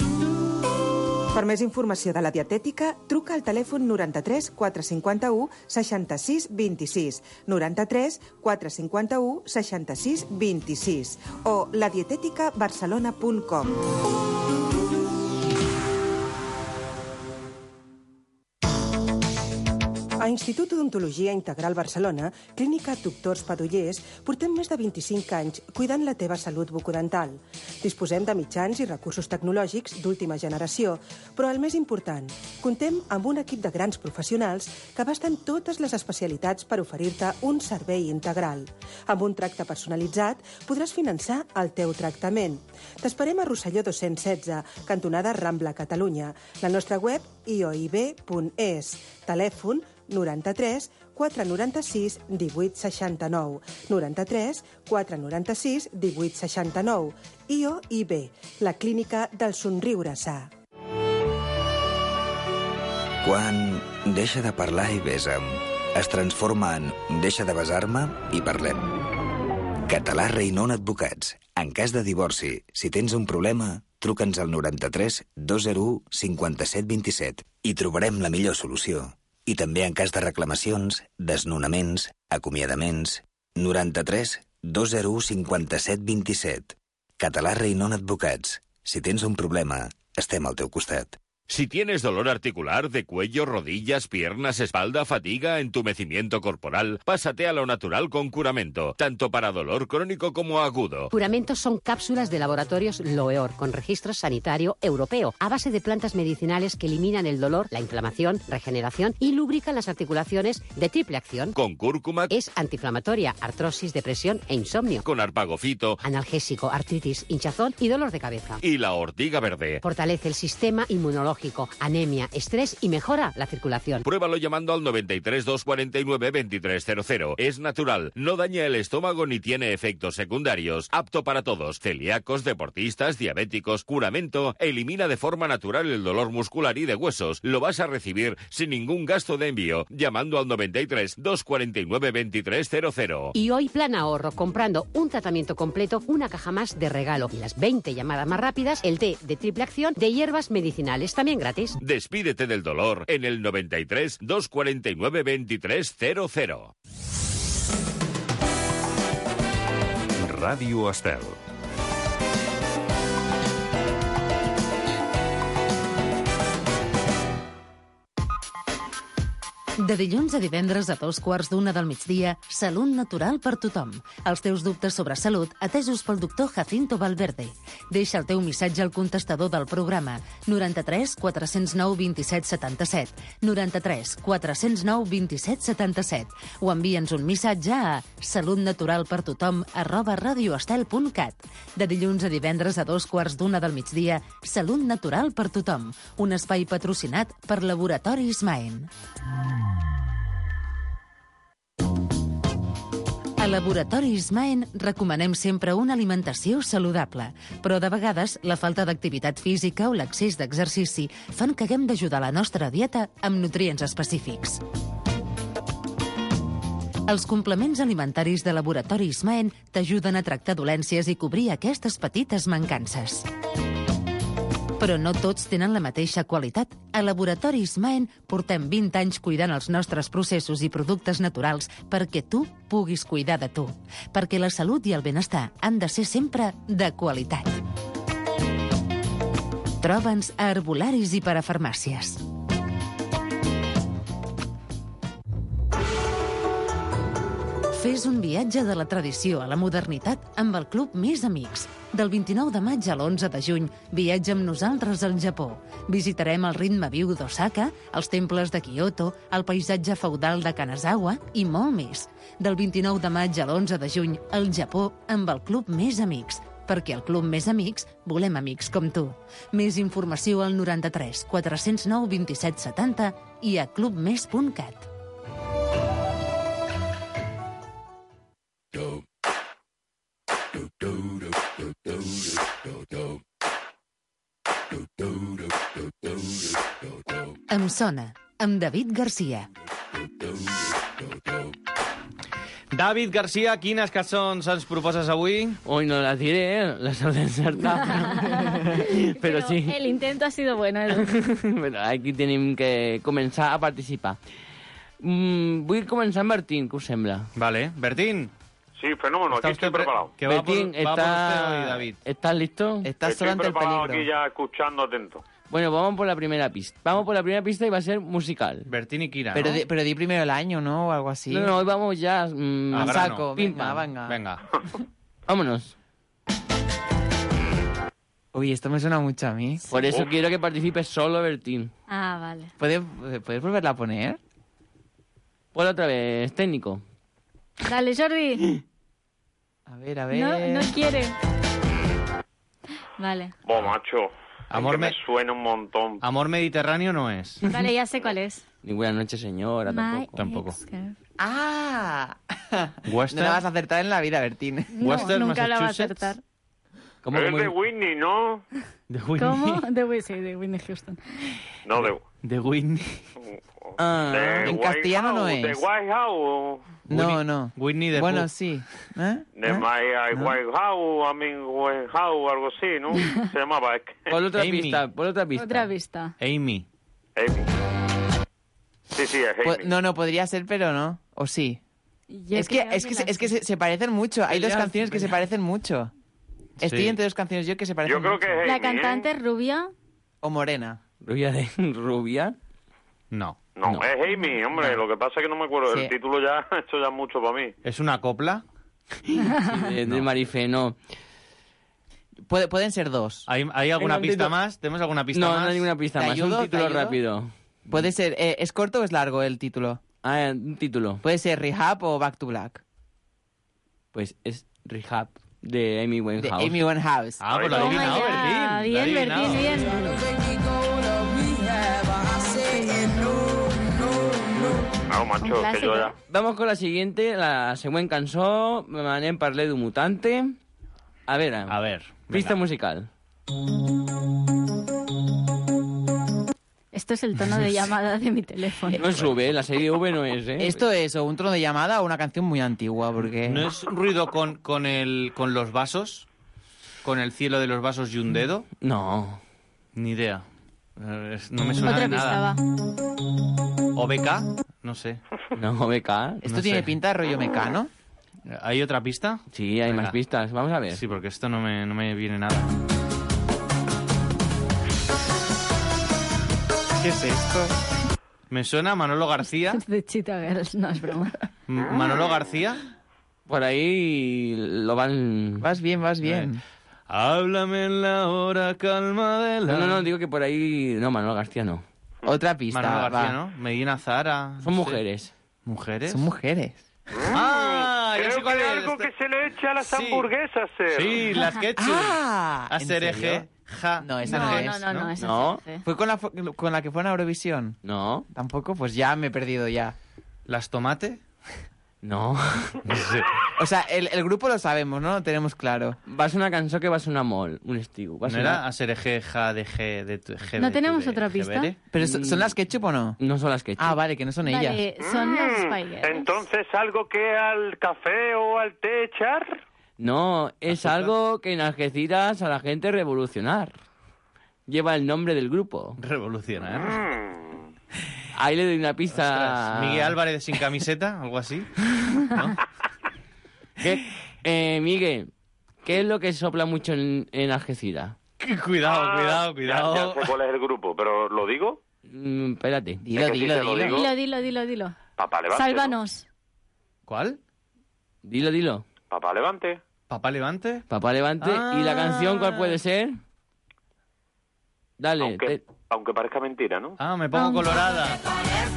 Per més informació de la dietètica, truca al telèfon noranta-tres quatre cinquanta-u seixanta-sis vint-i-sis, noranta-tres quatre cinquanta-u seixanta-sis vint-i-sis o la dietètica barcelona punt com. A Institut d'Odontologia Integral Barcelona, Clínica Doctors Padollers, portem més de vint-i-cinc anys cuidant la teva salut bucodental. Disposem de mitjans i recursos tecnològics d'última generació, però el més important, contem amb un equip de grans professionals que abasten totes les especialitats per oferir-te un servei integral. Amb un tracte personalitzat podràs finançar el teu tractament. T'esperem a Rosselló dos-cents setze, cantonada Rambla, Catalunya. La nostra web i o i be punt es. Telèfon noranta-tres quatre noranta-sis divuit seixanta-nou, noranta-tres quatre noranta-sis divuit seixanta-nou. I o i be, la clínica del somriure sa. Quan deixa de parlar i besa'm, es transforma en deixa de besar-me i parlem. Català Reinon Advocats. En cas de divorci, si tens un problema, truca'ns al noranta-tres dos zero u cinquanta-set vint-i-set i trobarem la millor solució. I també en cas de reclamacions, desnonaments, acomiadaments... noranta-tres dos zero u cinquanta-set vint-i-set. Català Reinon Advocats. Si tens un problema, estem al teu costat. Si tienes dolor articular de cuello, rodillas, piernas, espalda, fatiga, entumecimiento corporal, pásate a lo natural con Curamento, tanto para dolor crónico como agudo. Curamento son cápsulas de laboratorios Loeor, con registro sanitario europeo, a base de plantas medicinales que eliminan el dolor, la inflamación, regeneración y lubrican las articulaciones de triple acción. Con cúrcuma. Es antiinflamatoria, artrosis, depresión e insomnio. Con arpagofito. Analgésico, artritis, hinchazón y dolor de cabeza. Y la ortiga verde. Fortalece el sistema inmunológico, anemia, estrés y mejora la circulación. Pruébalo llamando al noventa y tres dos cuarenta y nueve veintitrés cero cero. Es natural, no daña el estómago ni tiene efectos secundarios. Apto para todos, celíacos, deportistas, diabéticos. Curamento elimina de forma natural el dolor muscular y de huesos. Lo vas a recibir sin ningún gasto de envío, llamando al noventa y tres dos cuarenta y nueve veintitrés cero cero. Y hoy plan ahorro, comprando un tratamiento completo, una caja más de regalo. Y las veinte llamadas más rápidas, el té de triple acción de hierbas medicinales, también gratis. Despídete del dolor en el noventa y tres dos cuarenta y nueve veintitrés cero cero. Ràdio Estel. De dilluns a divendres a dos quarts d'una del migdia, Salut Natural per tothom. Els teus dubtes sobre salut atesos pel doctor Jacinto Valverde. Deixa el teu missatge al contestador del programa noranta-tres quatre cents nou vint-i-set setanta-set, noranta-tres quatre cents nou vint-i-set setanta-set, o envia'ns un missatge a salutnaturalpertothom arroba radioestel punt cat. De dilluns a divendres a dos quarts d'una del migdia, Salut Natural per tothom, un espai patrocinat per Laboratoris Maen. A Laboratoris Maen recomanem sempre una alimentació saludable, però de vegades la falta d'activitat física o l'excés d'exercici fan que haguem d'ajudar la nostra dieta amb nutrients específics. Els complements alimentaris de Laboratoris Maen t'ajuden a tractar dolències i cobrir aquestes petites mancances. Però no tots tenen la mateixa qualitat. A Laboratoris Maen portem vint anys cuidant els nostres processos i productes naturals perquè tu puguis cuidar de tu. Perquè la salut i el benestar han de ser sempre de qualitat. Troba'ns a herbolaris i parafarmàcies. Fes un viatge de la tradició a la modernitat amb el Club Més Amics. Del vint-i-nou de maig a l'onze de juny, viatja amb nosaltres al Japó. Visitarem el ritme viu d'Osaka, els temples de Kyoto, el paisatge feudal de Kanazawa i molt més. Del vint-i-nou de maig a l'onze de juny, al Japó amb el Club Més Amics. Perquè al Club Més Amics volem amics com tu. Més informació al noranta-tres quatre cents nou vint-i-set setanta i a clubmes punt cat. Em sona, amb David Garcia. David Garcia, quines cançons ens proposes avui? Hoy no las diré, las he encertat. Pero, Pero sí. El intento ha sido bueno. Bueno, aquí tenim que començar a participar. Mm, vull començar amb Bertín, què us sembla? Vale, Bertín. Sí, fenómeno, aquí estoy preparado. Que va Bertín, por, va está... por usted hoy, David. ¿Estás listo? Estás Estoy solo ante el preparado peligro. aquí ya escuchando atento. Bueno, vamos por la primera pista. Vamos por la primera pista y va a ser musical. Bertín y Kira, Pero, ¿no? di, pero di primero el año, ¿no? O algo así. No, no, hoy vamos ya mmm, A A grano. saco. Pim, Venga, pam. venga. Venga. Vámonos. Uy, esto me suena mucho a mí. Por eso Uf. quiero que participes solo, Bertín. Ah, vale. ¿Puedes, ¿Puedes volverla a poner? Ponla otra vez, técnico. Dale, Jordi. A ver, a ver. No, no quiere. Vale. Vos, macho. Amor es que me... me- suena un montón. Amor Mediterráneo no es. Vale, ya sé cuál es. Ni buenas noches, señora, My tampoco. Tampoco. ex-girl. ¡Ah! Western. No la vas a acertar en la vida, Bertín. No, Western, nunca la va a Massachusetts. acertar. ¿Cómo, Es cómo- de Whitney, ¿no? De Whitney. ¿Cómo? De, Whitney, sí, de Whitney Houston. No, de... De Whitney. Ah, de en White castellano no House, es. De White House. No, Whitney- no. Whitney the Bueno, Pooh. sí. ¿Eh? De ¿Eh? My uh, White House, I mean White House, algo así, ¿no? Se llamaba, es que... Pon otra Amy. pista, pon otra pista. Otra vista. Amy. Amy. Sí, sí, es Po- Amy. No, no, podría ser, pero no. ¿O sí? Yo es que, creo es que, se- la es que sé. se, se parecen mucho. Hay dos Pelearse, canciones que se parecen mucho. Estoy Sí. entre dos canciones yo que se parecen Yo creo mucho. que es La Amy, cantante ¿eh? es rubia. O morena. ¿Rubia de rubia? No. No, No. es Amy, hombre. Lo que pasa es que no me acuerdo. Sí. El título ya, esto ya es mucho para mí. ¿Es una copla? De, de Marifé, no. Puede- pueden ser dos. ¿Hay, hay alguna Venga, un pista título. más? ¿Tenemos alguna pista No, más? no hay ninguna pista ¿Te más. ayudo? Un ¿Te título ayudo? rápido. Puede ser... eh, ¿Es corto o es largo el título? Ah, un título. Puede ser Rehab o Back to Black. Pues es Rehab de Amy De Winehouse. Amy Winehouse. Ah, pues lo ha Toma adivinado, ya. Bertín. Lo ha Bien, adivinado. Bertín, bien. No, macho, Un que clásico. yo ya... Vamos con la siguiente, la següent cançó, me n'anem parler d'un mutante. A veure, A ver. pista venga. musical. Esto es el tono de llamada de mi teléfono. No sube, la serie V no es, ¿eh? Esto es o un trono de llamada o una canción muy antigua, porque... ¿No es ruido con, con, el, con los vasos? ¿Con el cielo de los vasos y un dedo? No. Ni idea. Eh, es- No me suena Otra de pista nada. va. ¿O B K? No sé. No, B K. Esto no tiene sé. pinta de rollo mecano. ¿Hay otra pista? Sí, hay Venga. más pistas. Vamos a ver. Sí, porque esto no me, no me viene nada. ¿Qué es esto? Me suena Manolo García. De Cheetah Girls, no, es broma. Manolo García. Por ahí lo van... Vas bien, vas bien. Eh. Háblame en la hora calma de la... No, no, no, digo que por ahí... No, Manolo García no. Otra pista. Manolo García, va. ¿no? Medina Zara. Son no mujeres. sé. ¿Mujeres? Son mujeres. Ah, ya Creo sé cuál que es. algo Esta- que se le echa a las Sí. hamburguesas, Ser. Sí, las ketchup. Ah, ¿en Asereje, serio? ja. No, esa No, no, no, es. no, no, esa No. es F. ¿Fue con la, fu- con la que fue a Eurovisión? No, ¿Tampoco? Pues ya me he perdido ya. ¿Las tomate? no. No sé. O sea, el, el grupo lo sabemos, ¿no? Lo tenemos claro. Va a ser una canción que va a ser una mol, un estiu. Va a ¿No ser era una... Asereje, ja, de G, de tu- G, ¿No de tu- tenemos de otra pista? Gebere? ¿Pero so- son las ketchup o no? No son las que... Ah, vale, que no son ellas. Vale, son los Mm, Spice Girls. Entonces, ¿algo que al café o al té echar? No, es ¿Azúcar? algo que en Algeciras a la gente revolucionar. Lleva el nombre del grupo. Revolucionar. Mm. Ahí le doy una pista... Ostras, Miguel Álvarez sin camiseta, algo así. ¿No? ¿Qué? Eh, Miguel, ¿qué es lo que sopla mucho en, en Algeciras? Cuidado, Ah, cuidado, Ya, cuidado. ya sé cuál es el grupo, pero ¿lo digo? Mm, espérate. Dilo, Es que sí dilo, te lo dilo. digo. Dilo, dilo, dilo, dilo. Papá Levante. ¿no? Sálvanos. ¿Cuál? Dilo, dilo. Papá Levante. ¿Papá Levante? Papá Levante. ¿Y la canción cuál puede ser? Dale. Aunque, te- aunque parezca mentira, ¿no? Ah, me pongo colorada.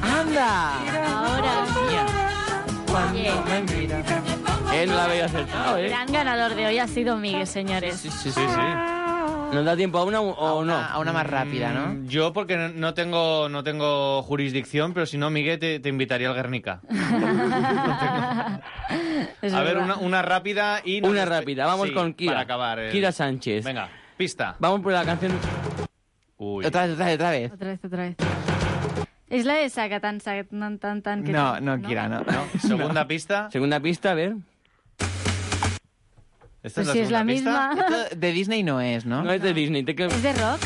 ¡Anda! Ahora. Oye, Él no la había acertado, el ¿eh? gran ganador de hoy ha sido Miguel, señores. Sí, sí, sí. ¿Nos da tiempo a una o A una, no? a una más rápida, ¿no? Mm, Yo porque no- no tengo, no tengo jurisdicción, pero si no, Miguel, te, te invitaría al Guernica. Es A ver, verdad. una, una rápida y... nos Una despe- rápida. Vamos Sí, con Kira. Para acabar. el- Kira Sánchez. Venga, pista. Vamos por la canción... Uy. Otra vez, otra vez, otra vez. Otra vez, otra vez. Es la de saca tan, saca tan, tan, tan. Que No, tan, no, Kira, no. ¿No? Segunda pista. Segunda pista, a ver. ¿Esta Pues si es la segunda pista? misma. Esto de Disney no es, ¿no? No es de Disney. te que- ¿Es de rock?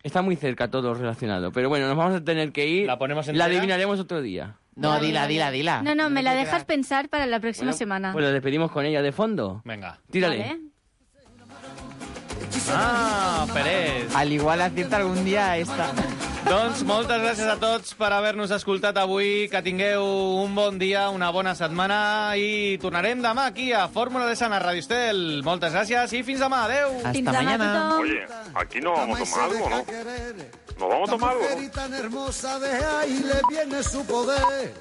Está muy cerca todo relacionado. Pero bueno, nos vamos a tener que ir. ¿La ponemos La entera? adivinaremos otro día. No, dila, dila, dila. No, no, me la te dejas quedas- pensar para la próxima Bueno, semana. Pues la despedimos con ella de fondo. Venga. Tírale. Vale. Ah, Pérez. Al igual acierta algún día esta. Doncs moltes gràcies a tots per haver-nos escoltat avui. Que tingueu un bon dia, una bona setmana i tornarem demà aquí a Fórmula de Sana, Radio Estel. Moltes gràcies i fins demà. Adéu. Hasta Fins demà, mañana. tothom. Oye, aquí nos vamos a tomar algo, ¿no? Nos vamos a tomar algo, ¿no? Tan hermosa de ahí le viene su poder.